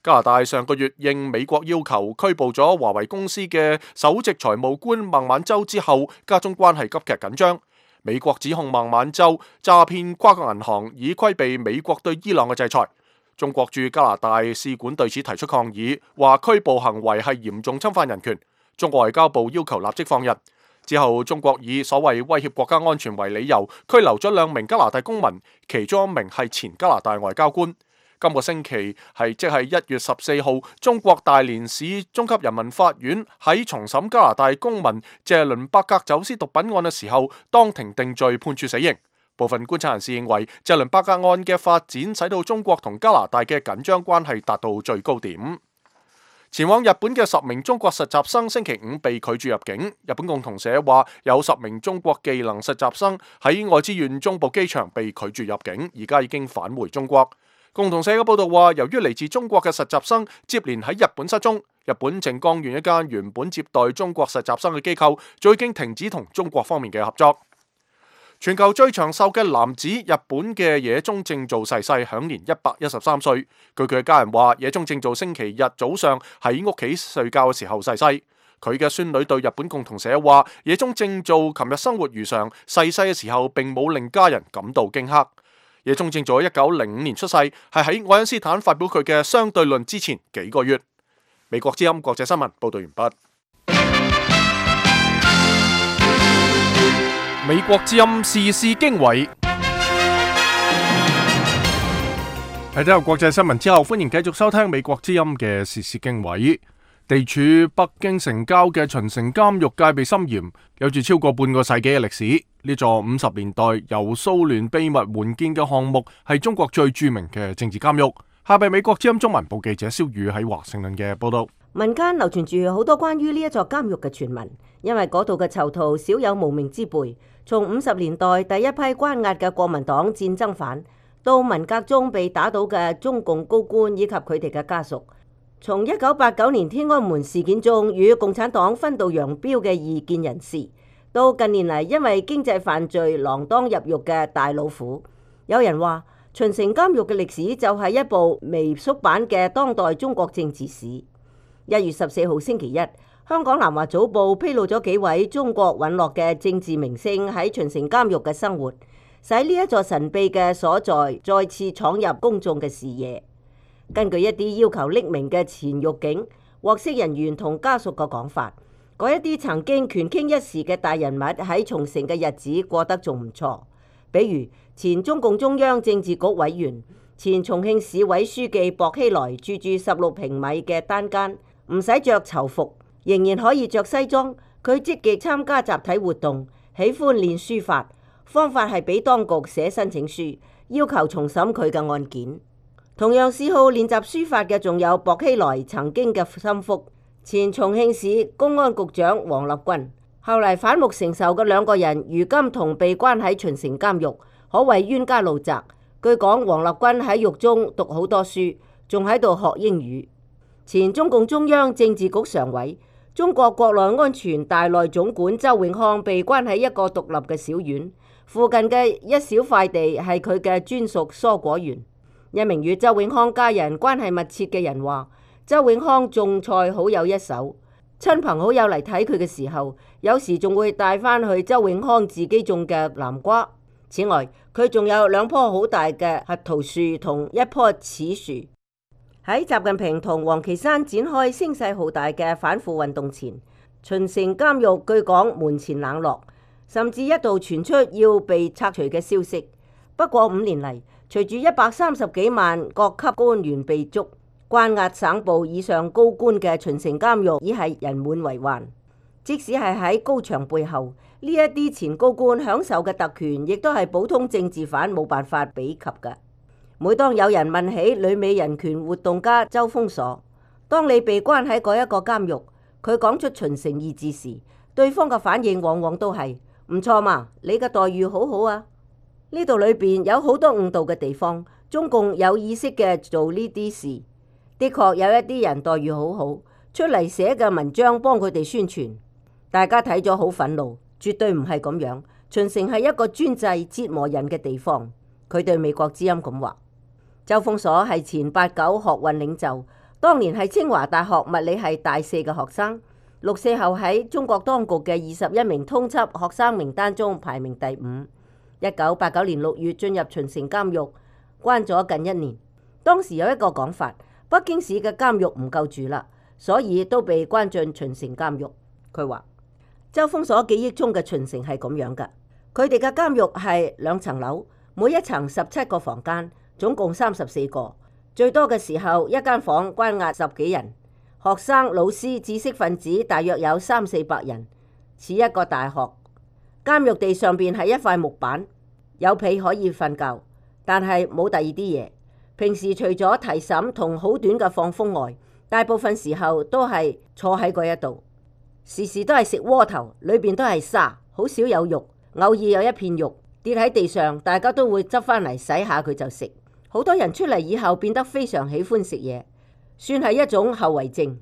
加拿大上個月應美國要求拘捕咗華為公司嘅首席財務官孟晚舟之後，加中關係急劇緊張。美國指控孟晚舟詐騙跨國銀行，以規避美國對伊朗嘅制裁。中國駐加拿大使館對此提出抗議，話拘捕行為係嚴重侵犯人權。中國外交部要求立即放人。之後，中國以所謂威脅國家安全為理由，拘留咗2名加拿大公民，其中1名係前加拿大外交官。今個星期即係1月14號，中國大連市中級人民法院喺重審加拿大公民謝倫伯格走私毒品案嘅時候，當庭定罪，判處死刑。部分觀察人士認為，謝倫伯格案嘅發展使到中國同加拿大嘅緊張關係達到最高點。前往日本嘅10名中國實習生星期五被拒絕入境。日本共同社話，有10名中國技能實習生喺愛知縣中部機場被拒絕入境，而家已經返回中國。共同社嘅報道話，由於嚟自中國嘅實習生接連喺日本失蹤，日本靜岡縣一間原本接待中國實習生嘅機構，早已經停止同中國方面嘅合作。全球最長壽嘅男子日本嘅野中正造逝世，享年113歲。據佢嘅家人話，野中正造星期日早上喺屋企睡覺嘅時候逝世。佢嘅孫女對日本共同社話，野中正造琴日生活如常，逝世嘅時候並冇令家人感到驚嚇。野中正造喺1905年出世，係喺愛因斯坦發表佢嘅相對論之前幾個月。美國之音國際新聞報道完畢。美國之音時事經緯。喺睇完國際新聞之後，歡迎繼續收聽美國之音嘅時事經緯。地處北京城郊嘅秦城監獄戒備森嚴，有住超過半個世紀嘅歷史。呢座50年代由蘇聯秘密援建嘅項目，係中國最著名嘅政治監獄。下邊美國之音中文部記者蕭宇喺華盛頓嘅報道。民間流傳住好多關於呢一座監獄嘅傳聞，因為嗰度嘅囚徒少有無名之輩。從50年代第一批關押嘅國民黨戰爭犯，到文革中被打倒嘅中共高官以及佢哋嘅家屬，從1989年天安門事件中與共產黨分道揚鑣嘅異見人士，到近年嚟因為經濟犯罪鋃鐺入獄嘅大老虎。有人話秦城監獄嘅歷史就係一部微縮版嘅當代中國政治史。1月14號星期一，香港南華早報披露咗幾位中國隕落嘅政治明星喺秦城監獄嘅生活，使呢一座神秘嘅所在再次闖入公眾嘅視野。根據一啲要求匿名嘅前獄警、獲釋人員同家屬嘅講法，嗰一啲曾經權傾一時嘅大人物喺從城嘅日子過得仲唔錯，比如前中共中央政治局委員、前重慶市委書記薄熙來住16平米嘅單間，唔使着囚服，仍然可以着西裝。佢積極參加集體活動，喜歡練書法，方法係俾當局寫申請書，要求重審佢嘅案件。同樣嗜好練習書法嘅仲有薄熙來曾經嘅心腹，前重慶市公安局長王立軍。後嚟反目成仇嘅兩個人，如今同被關喺秦城監獄，可謂冤家路窄。據講，王立軍喺獄中讀好多書，仲喺度學英語。前中共中央政治局常委、中國國內安全大內總管周永康被關喺一個獨立嘅小院，附近嘅一小塊地係佢嘅專屬蔬果園。一名與周永康家人關係密切嘅人話，周永康種菜好有一手，親朋好友嚟睇佢嘅時候，有時仲會帶翻去周永康自己種嘅南瓜。此外，佢仲有2棵好大嘅核桃樹同1棵柿樹。喺習近平同王岐山展開聲勢浩大嘅反腐運動前，秦城監獄據講門前冷落，甚至一度傳出要被拆除嘅消息。不過5年嚟，隨住130幾萬各級官員被捉，關押省部以上高官嘅秦城監獄已係人滿為患。即使係喺高牆背後，呢一啲前高官享受嘅特權，亦都係普通政治犯冇辦法比及嘅。每當有人問起旅美人權活動家周鋒鎖，當你被關喺嗰一個監獄，佢講出秦城2字時，對方嘅反應往往都係唔錯嘛，你嘅待遇好好啊。呢度裏邊有好多誤導嘅地方，中共有意識嘅做呢啲事。的確有一啲人待遇好好，出嚟寫嘅文章幫佢哋宣傳，大家睇咗好憤怒，絕對唔係咁樣。秦城係一個專制折磨人嘅地方。佢對美國之音咁話。周鋒鎖係前8·9學運領袖，當年係清華大學物理系大4嘅學生，6·4後喺中國當局嘅21名通緝學生名單中排名第5。1989年6月進入秦城監獄，關咗近1年。當時有一個講法，北京市嘅監獄唔夠住啦，所以都被關進秦城監獄。佢話周鋒鎖記憶中嘅秦城係咁樣噶，佢哋嘅監獄係2層樓，每一層17個房間，總共34個，最多嘅時候一間房關押10幾人，學生、老師、知識分子大約有300-400人，似一個大學。監獄地上邊係一塊木板，有被可以瞓覺，但係冇第二啲嘢。平時除咗提審同好短嘅放風外，大部分時候都係坐喺嗰一度，時時都係食窩頭，裏邊都係沙，好少有肉，偶爾有一片肉跌喺地上，大家都會執翻嚟洗下佢就食。好多人出嚟以後變得非常喜歡食嘢，算係一種後遺症。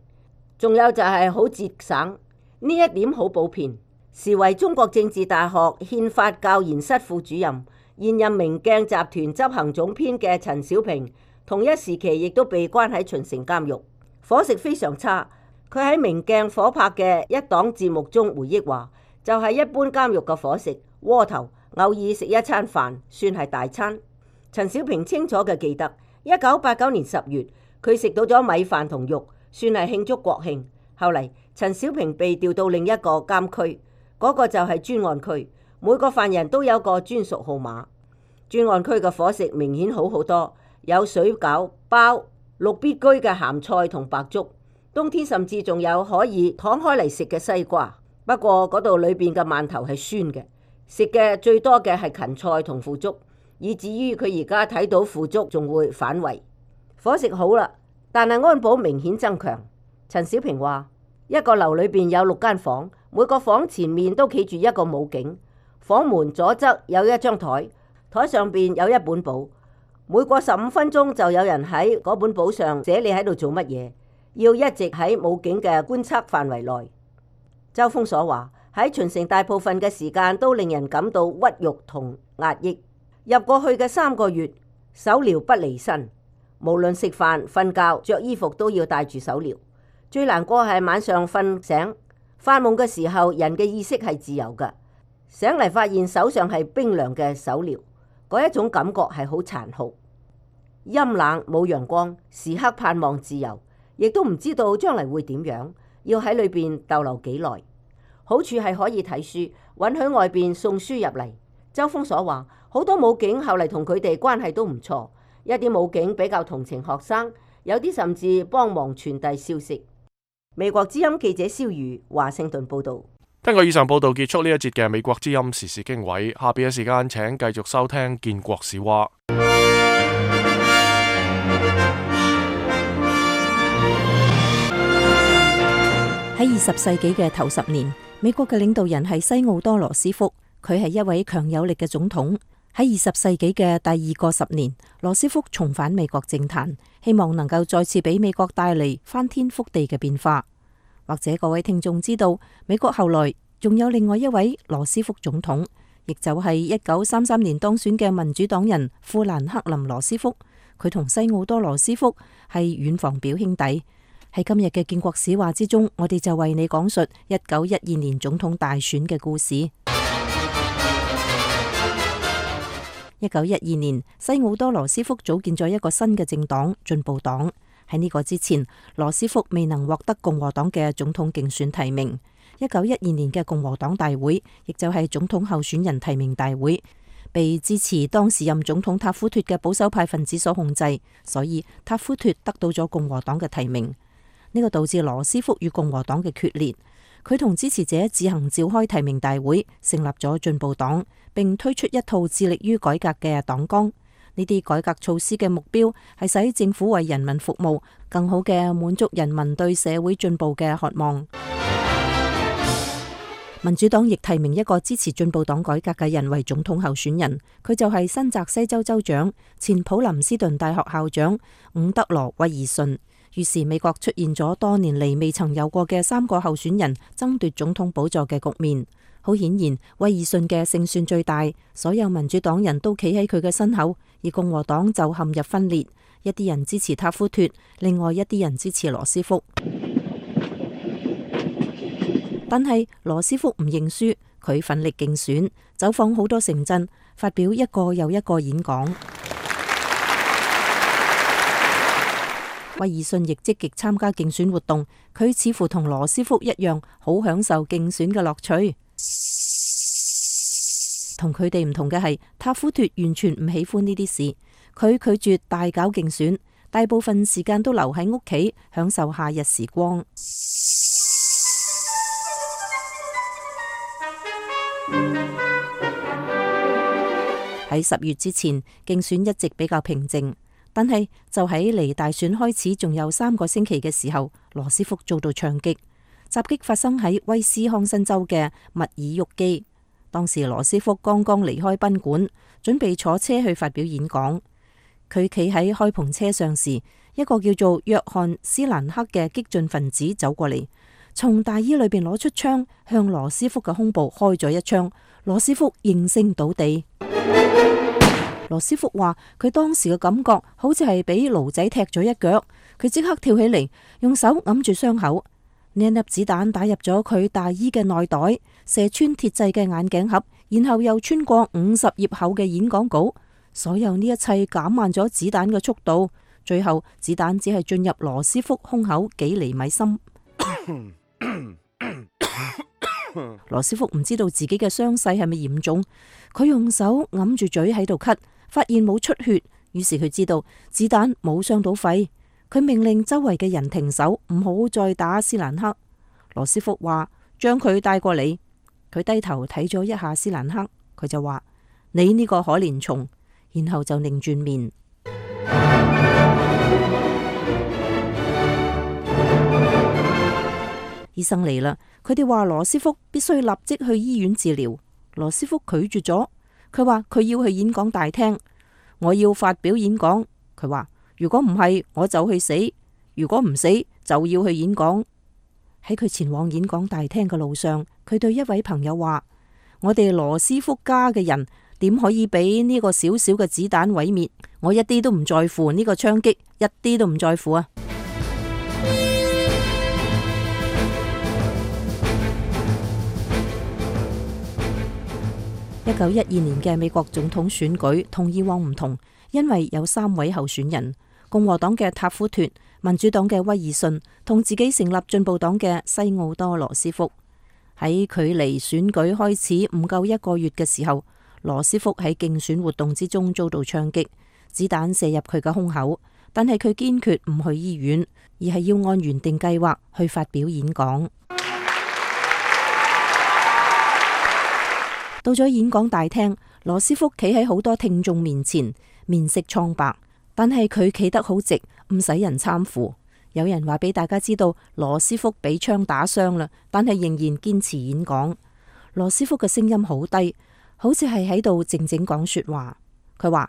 仲有就係好節省，呢一點好普遍。時為中國政治大學憲法教研室副主任、現任明鏡集團執行總編嘅陳小平，同一時期亦都被關喺秦城監獄，伙食非常差。佢喺明鏡火拍嘅一檔節目中回憶話，就係一般監獄嘅伙食，窩頭偶爾食一餐飯算係大餐。陳小平清楚嘅記得，1989年10月，佢食到咗米飯同肉，算係慶祝國慶。後嚟陳小平被調到另一個監區，嗰個就係專案區，每個犯人都有個專屬號碼。專案區嘅伙食明顯好好多，有水餃、包、綠必居嘅鹹菜同白粥，冬天甚至仲有可以攤開嚟食嘅西瓜。不過嗰度裏邊嘅饅頭係酸嘅，食嘅最多嘅係芹菜同腐竹，以至於佢而家睇到腐竹仲會反胃。伙食好啦，但係安保明顯增強。陳小平話，一個樓裏邊有6間房，每個房前面都企住一個武警，房門左側有一張台，台上邊有一本簿，每過15分鐘就有人喺嗰本簿上寫你喺度做乜嘢，要一直喺武警嘅觀測範圍內。周鋒所話，喺秦城大部分嘅時間都令人感到屈辱同壓抑。入過去嘅3個月，手鐐不離身，無論食飯、瞓覺、着衣服都要帶住手鐐。最難過係晚上瞓醒發夢嘅時候，人嘅意識係自由嘅，醒嚟發現手上係冰涼嘅手鐐，嗰一種感覺係好殘酷。陰冷冇陽光，時刻盼望自由，亦都唔知道將來會點樣，要喺裏邊逗留幾耐。好處係可以睇書，允許外邊送書入嚟。周鋒所話，好多武警後嚟同佢哋關係都唔錯，一啲武警比較同情學生，有啲甚至幫忙傳遞消息。美國之音記者蕭瑜華盛頓報道。根據以上報道結束呢一節嘅美國之音時事經緯，下邊嘅時間請繼續收聽建國史話。喺20世紀嘅頭10年，美國嘅領導人係西奧多羅斯福，佢係一位強有力嘅總統。喺20世紀嘅第2個10年，羅斯福重返美國政壇，希望能夠再次俾美國帶嚟翻天覆地嘅變化。或者各位聽眾知道，美國後來仲有另外一位羅斯福總統，亦就係1933年當選嘅民主黨人富蘭克林羅斯福。佢同西奧多羅斯福係遠房表兄弟。喺今日嘅建國史話之中，我哋就為你講述1912年總統大選嘅故事。1912年，西奧多羅斯福組建咗一個新嘅政黨進步黨。喺呢個之前，羅斯福未能獲得共和黨嘅總統競選提名。1912年嘅共和黨大會，亦就係總統候選人提名大會，被支持當時任總統塔夫脫嘅保守派分子所控制，所以塔夫脫得到咗共和黨嘅提名。呢個導致羅斯福與共和黨嘅決裂。佢同支持者自行召開提名大會，成立咗進步黨，並推出一套致力於改革嘅黨綱。呢啲改革措施嘅目標係使政府為人民服務，更好嘅滿足人民對社會進步嘅渴望。民主黨亦提名一個支持進步黨改革嘅人為總統候選人，佢就係新澤西州州長、前普林斯頓大學校長伍德羅·威爾遜。於是美國出現咗多年嚟未曾有過嘅3個候選人爭奪總統寶座嘅局面。好顯然，威爾遜嘅勝算最大，所有民主黨人都企喺佢嘅身後，而共和黨就陷入分裂，一啲人支持塔夫脫，另外一啲人支持羅斯福。但係羅斯福唔認輸，佢奮力競選，走訪好多城鎮，發表一個又一個演講。威爾遜亦積極參加競選活動，佢似乎同羅斯福一樣，好享受競選嘅樂趣。同佢哋唔同嘅係，塔夫脫完全唔喜歡呢啲事，佢拒絕大搞競選，大部分時間都留喺屋企享受夏日時光。喺10月之前，競選一直比較平靜。但係就喺離大選開始仲有3個星期嘅時候，羅斯福遭到槍擊。襲擊發生喺威斯康辛州嘅密爾沃基。當時羅斯福剛剛離開賓館，準備坐車去發表演講。佢企喺開篷車上時，一個叫做約翰斯蘭克嘅激進分子走過嚟，從大衣裏邊攞出槍，向羅斯福嘅胸部開咗一槍，羅斯福應聲倒地。羅斯福話佢當時嘅感覺好似係俾驢仔踢咗一腳，佢即刻跳起嚟，用手揞住傷口。呢一粒子彈打入咗佢大衣嘅內袋，射穿鐵製嘅眼鏡盒，然後又穿過50頁厚嘅演講稿。所有呢一切減慢咗子彈嘅速度，最後子彈只係進入羅斯福胸口幾厘米深。羅斯福唔知道自己嘅傷勢係咪嚴重，佢用手揞住嘴喺度咳，發現冇出血，於是佢知道子彈冇傷到肺。佢命令周圍嘅人停手，唔好再打斯蘭克。羅斯福話：將佢帶過嚟。佢低頭睇咗一下斯蘭克，佢就話：你呢個可憐蟲。然後就擰轉面。醫生嚟啦，佢哋話羅斯福必須立即去醫院治療。羅斯福拒絕咗，佢話佢要去演講大廳，我要發表演講。佢話如果唔係我就去死，如果唔死就要去演講。喺佢前往演講大廳嘅路上，佢對一位朋友話：我哋羅斯福家嘅人點可以俾呢個小小嘅子彈毀滅？我一啲都唔在乎呢個槍擊，一啲都唔在乎啊！1912年嘅美國總統選舉同以往唔同，因為有3位候選人，共和黨嘅塔夫脫、民主黨嘅威爾遜同自己成立進步黨嘅西奧多羅斯福。喺距離選舉開始唔夠1個月嘅時候，羅斯福喺競選活動之中遭到槍擊，子彈射入佢嘅胸口，但係佢堅決唔去醫院，而係要按原定計劃去發表演講。到咗演講大廳，羅斯福企喺好多聽眾面前，面色蒼白，但係佢企得好直，唔使人攙扶。有人話俾大家知道羅斯福俾槍打傷啦，但係仍然堅持演講。羅斯福嘅聲音好低，好似係喺度靜靜講說話。佢話：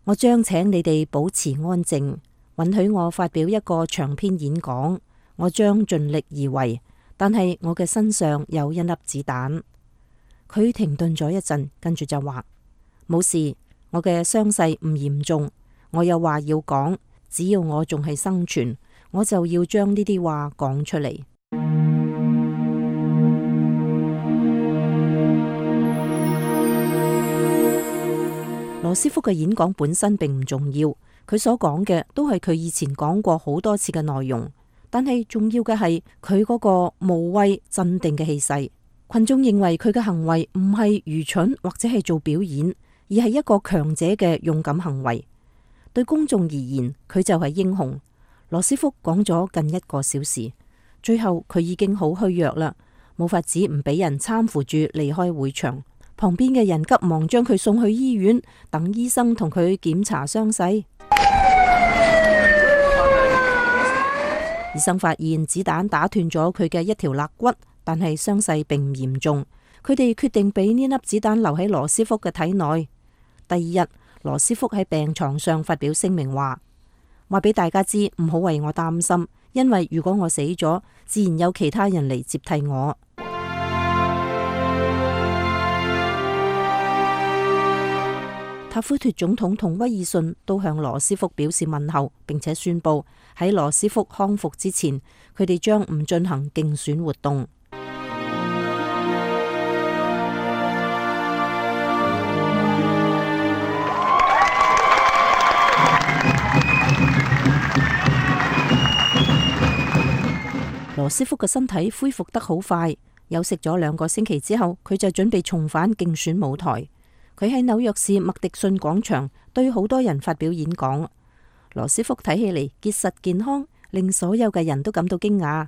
我將請你哋保持安靜，允許我發表一個長篇演講。我將盡力而為，但係我嘅身上有一粒子彈。佢停頓咗一陣，跟住就話：冇事，我嘅傷勢唔嚴重。我有話要講，只要我仲係生存，我就要將呢啲話講出嚟。羅斯福嘅演講本身並唔重要，佢所講嘅都係佢以前講過好多次嘅內容，但係重要嘅係佢嗰個無畏鎮定嘅氣勢。群眾認為佢嘅行為唔係愚蠢或者係做表演，而係一個強者嘅勇敢行為。對公眾而言，佢就係英雄。羅斯福講咗近1個小時，最後佢已經好虛弱啦，冇法子唔俾人攙扶住離開會場。旁邊嘅人急忙將佢送去醫院，等醫生同佢檢查傷勢。醫生發現子彈打斷咗佢嘅一條肋骨，但係傷勢並唔嚴重。佢哋決定俾呢粒子彈留喺羅斯福嘅體內。第二日，羅斯福喺病床上發表聲明話俾大家知，唔好為我擔心，因為如果我死咗，自然有其他人嚟接替我。塔夫脫總統同威爾遜都向羅斯福表示問候，並且宣布喺羅斯福康復之前，佢哋將唔進行競選活動。羅斯福嘅身體恢復得好快，休息咗2個星期之後，佢就準備重返競選舞台。佢喺紐約市麥迪遜廣場對好多人發表演講。羅斯福睇起嚟結實健康，令所有嘅人都感到驚訝。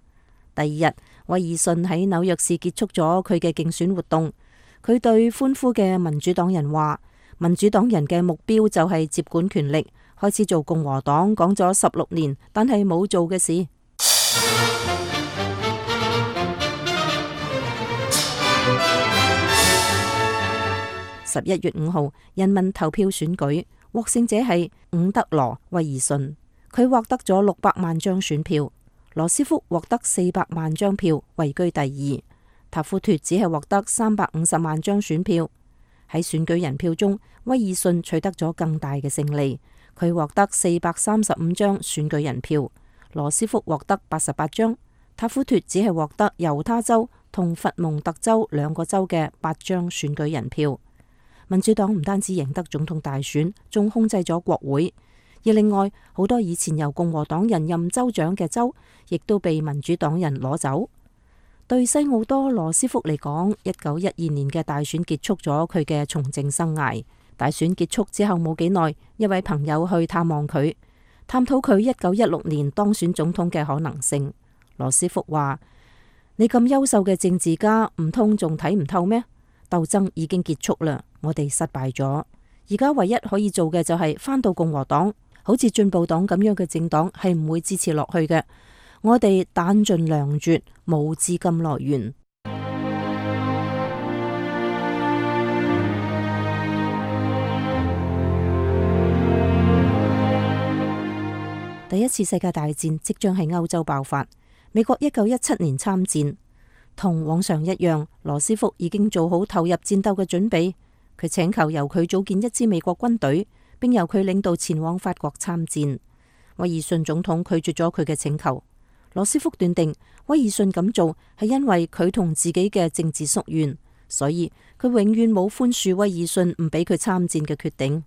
第二日，威爾遜喺紐約市結束咗佢嘅競選活動。佢對歡呼嘅民主黨人話：民主黨人嘅目標就係接管權力，開始做共和黨講咗16年但係冇做嘅事。11月5號，人民投票選舉，獲勝者係伍德羅·威爾遜，佢獲得咗600萬張選票。羅斯福獲得400萬張票，位居第二。塔夫脫只係獲得350萬張選票。喺選舉人票中，威爾遜取得咗更大嘅勝利，佢獲得435張選舉人票，羅斯福獲得88張，塔夫脫只係獲得猶他州同佛蒙特州2個州嘅8張選舉人票。民主黨唔單止贏得總統大選，仲控制咗國會。而另外好多以前由共和黨人任州長嘅州，亦都被民主黨人攞走。對西奧多羅斯福嚟講，1912年嘅大選結束咗佢嘅從政生涯。大選結束之後冇幾耐，一位朋友去探望佢，探討佢1916年當選總統嘅可能性。羅斯福話：你咁優秀嘅政治家，唔通仲睇唔透咩？鬥爭已經結束啦，我哋失敗咗。而家唯一可以做嘅就係返到共和黨，好似進步黨咁樣嘅政黨係唔會支持落去嘅。我哋彈盡糧絕，冇資金來源。第一次世界大戰即將喺歐洲爆發。美國1917年參戰，同往常一樣，羅斯福已經做好投入戰鬥嘅準備。佢請求由佢組建一支美國軍隊，並由佢領導前往法國參戰。威爾遜總統拒絕咗佢嘅請求。羅斯福斷定威爾遜咁做係因為佢同自己嘅政治夙願，所以佢永遠冇寬恕威爾遜唔俾佢參戰嘅決定。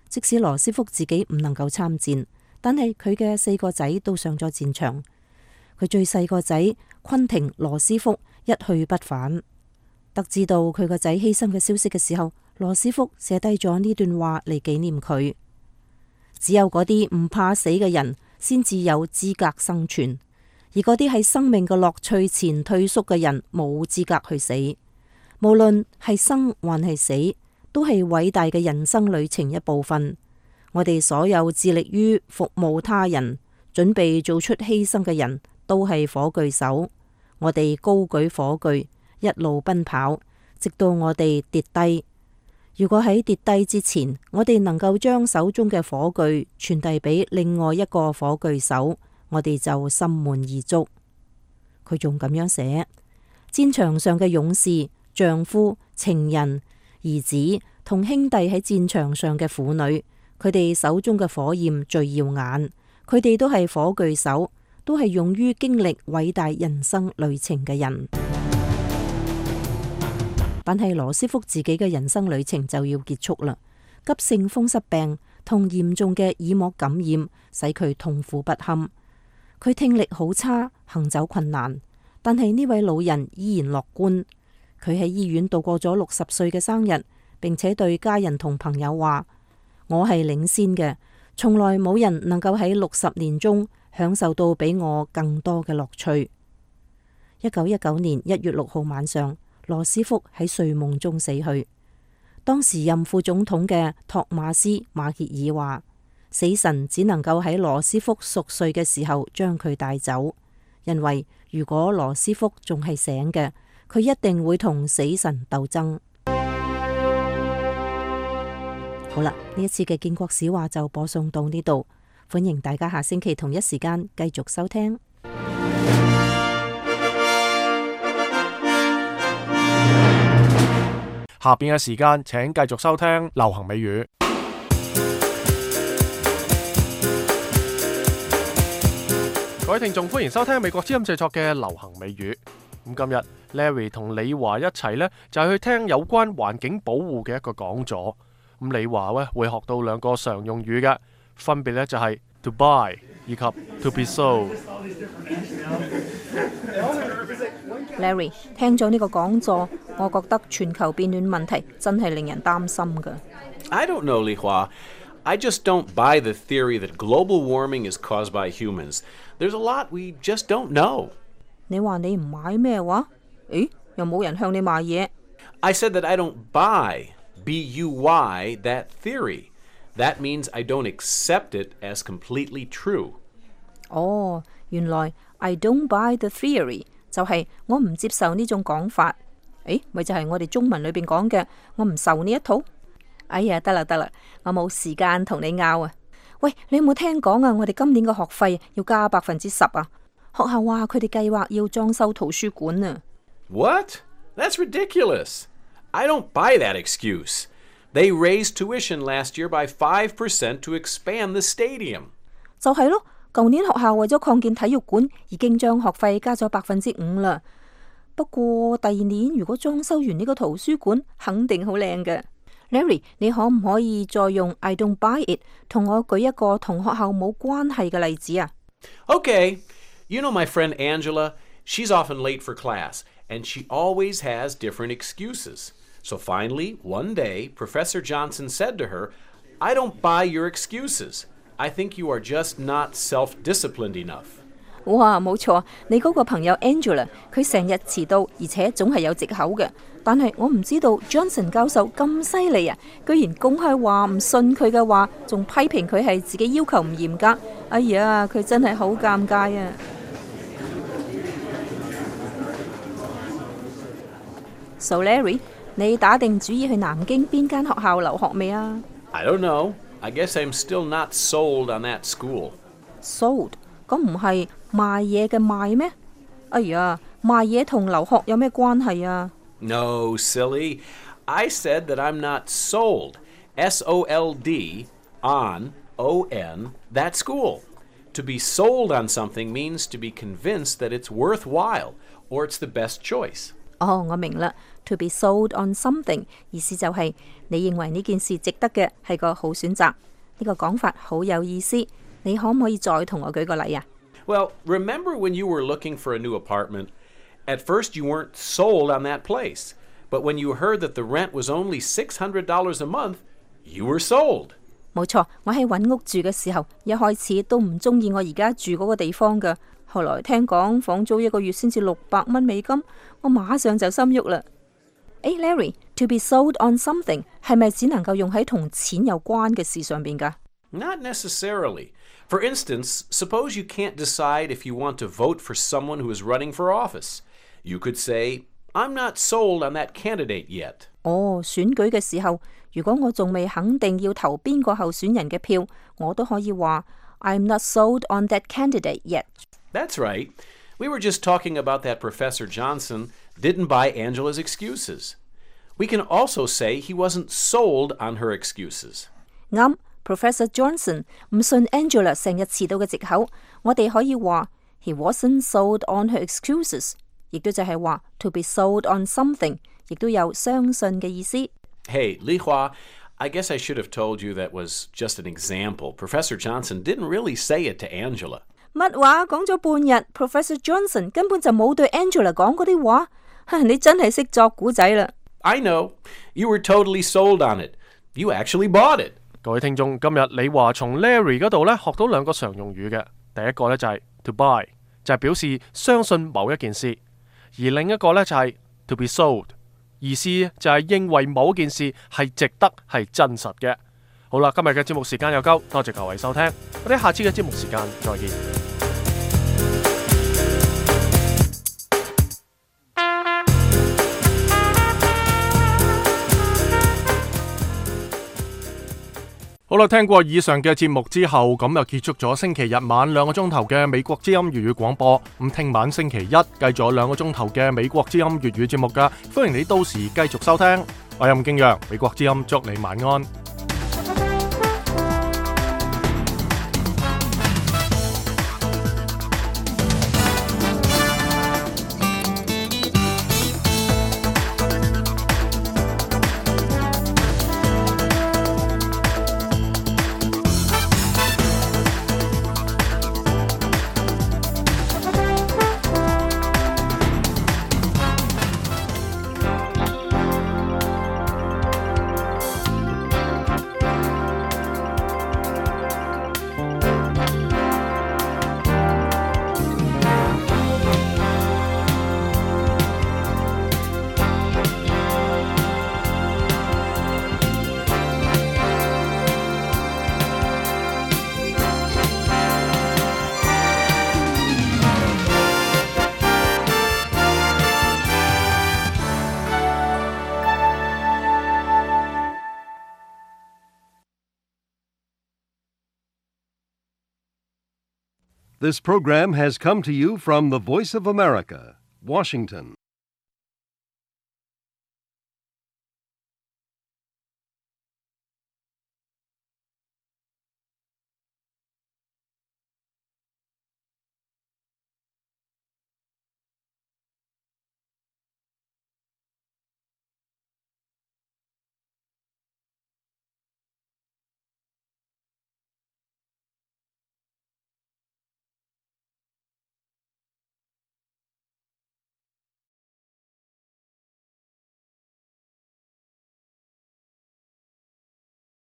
即使羅斯福自己唔能夠參戰，但係佢嘅4個仔都上咗戰場。佢最細個仔昆廷羅斯福一去不返。得知到佢個仔犧牲嘅消息嘅時候，羅斯福寫低咗呢段話嚟紀念佢。只有嗰啲唔怕死嘅人先至有資格生存。而嗰啲喺生命嘅樂趣前退縮嘅人，冇資格去死。無論係生還係死，都係偉大嘅人生旅程一部分。我哋所有致力於服務他人、準備做出犧牲嘅人都係火炬手。我哋高舉火炬，一路奔跑，直到我哋跌低。如果喺跌低之前，我哋能夠將手中嘅火炬傳遞俾另外一個火炬手，我哋就心滿意足。佢仲咁樣寫：戰場上嘅勇士、丈夫、情人、兒子同兄弟喺戰場上嘅婦女，佢哋手中嘅火焰最耀眼。佢哋都係火炬手，都係勇於經歷偉大人生旅程嘅人。但係羅斯福自己嘅人生旅程就要結束啦。急性風濕病同嚴重嘅耳膜感染使佢痛苦不堪。佢聽力好差，行走困難，但係呢位老人依然樂觀。佢喺醫院度過咗60歲嘅生日，並且對家人同朋友話：我係領先嘅，從來冇人能夠喺60年中享受到比我更多嘅樂趣。1919年1月6號晚上，羅斯福喺睡夢中死去。當時任副總統嘅托馬斯馬歇爾話：死神只能夠喺羅斯福熟睡嘅時候將佢帶走，因為如果羅斯福仲係醒嘅，佢一定會同死神鬥爭。好啦，呢一次嘅建國史話就播送到呢度，歡迎大家下星期同一時間繼續收聽。下邊嘅時間請繼續收聽流行美語。各位聽眾，歡迎收聽美國之音製作嘅流行美語。咁今日 Larry 同李華一齊呢，就係去聽有關環境保護嘅一個講座。咁李華呢會學到2個常用語嘅，分別呢就係 to buy 以及 to be sold。Larry 聽咗呢個講座，我覺得全球變暖問題真係令人擔心㗎。I don't know, Li Hua. I just don't buy the theory that global warming is caused by humans. There's a lot we just don't know. 你話你唔買咩話？誒，又冇人向你賣嘢。I said that I don't buy, B-U-Y, that theory. That means I don't accept it as completely true. 哦，原來 I don't buy the theory 就係我唔接受呢種講法。誒，咪就係我哋中文裏邊講嘅，我唔受呢一套。哎呀，得啦，我冇時間同你拗啊！喂，你有冇聽講啊？我哋今年嘅學費要加10%啊！學校話佢哋計劃要裝修圖書館啊。What? That's ridiculous. I don't buy that excuse. They raised tuition last year by 5% to expand the stadium. 就係咯，舊年學校為咗擴建體育館，已經將學費加咗5%啦。不過第二年如果裝修完呢個圖書館，肯定好靚嘅。Larry， 你可唔可以再用 I don't buy it 同我舉一個同學校冇關係嘅例子啊？ Okay, you know my friend Angela? She's often late for class, and she always has different excuses. So finally, one day, Professor Johnson said to her, I don't buy your excuses. I think you are just not self-disciplined enough. 哇，冇錯，你嗰個朋友 Angela， 佢成日遲到，而且總係有藉口嘅。但係我唔知道 Johnson 教授咁犀利啊，居然公開話唔信佢嘅話，仲批評佢係自己要求唔嚴格。哎呀，佢真係好尷尬啊！ So Larry， 你打定主意去南京邊間學校留學未啊？ I don't know. I guess I'm still not sold on that school. Sold？ 咁唔係賣嘢嘅賣咩？哎呀，賣嘢同留學有咩關係啊？ No, silly. I said that I'm not sold, S-O-L-D, on, O-N, that school. To be sold on something means to be convinced that it's worthwhile or it's the best choice. 哦，我明啦。To be sold on something 意思就係你認為呢件事值得嘅係個好選擇。呢個講法好有意思。你可唔可以再同我舉個例啊？ Well, remember when you were looking for a new apartment? At first you weren't sold on that place, but when you heard that the rent was only $600 a month, you were sold. 冇錯，我喺揾屋住嘅時候，一開始都唔中意我而家住嗰個地方㗎。後來聽講房租一個月先至$600美金，我馬上就心喐啦。Larry, to be sold on something 係咪只能夠用喺同錢有關嘅事上邊㗎？ Not necessarily. For instance, suppose you can't decide if you want to vote for someone who is running for office. You could say, I'm not sold on that candidate yet. 哦，選舉嘅時候，如果我仲未肯定要投邊個候選人嘅票，我都可以話 I'm not sold on that candidate yet. That's right. We were just talking about that Professor Johnson didn't buy Angela's excuses. We can also say he wasn't sold on her excuses. 啱，Professor Johnson 唔信 Angela 成日遲到嘅藉口，我哋可以話 He wasn't sold on her excuses， 亦都就係話 to be sold on something， 亦都有相信嘅意思。Hey, Li Hua, I guess I should have told you that was just an example. Professor Johnson didn't really say it to Angela. 乜話？講咗半日 ，Professor Johnson 根本就冇對 Angela 講嗰啲話。你真係識作古仔啦！ I know. You were totally sold on it. You actually bought it. 各位聽眾，今日李華從 Larry 嗰度咧學到兩個常用語嘅。第一個咧就係 to buy， 就係表示相信某一件事；而另一個咧就係 to be sold， 意思就係認為某件事係值得、係真實嘅。好啦，今日嘅節目時間又夠，多謝各位收聽，我哋下次嘅節目時間再見。好啦，聽過以上嘅節目之後，咁就結束咗星期日晚2個鐘頭嘅美國之音粵語廣播。咁聽晚星期一繼續有2個鐘頭嘅美國之音粵語節目噶，歡迎你到時繼續收聽。我係任敬陽，美國之音祝你晚安。This program has come to you from the Voice of America, Washington.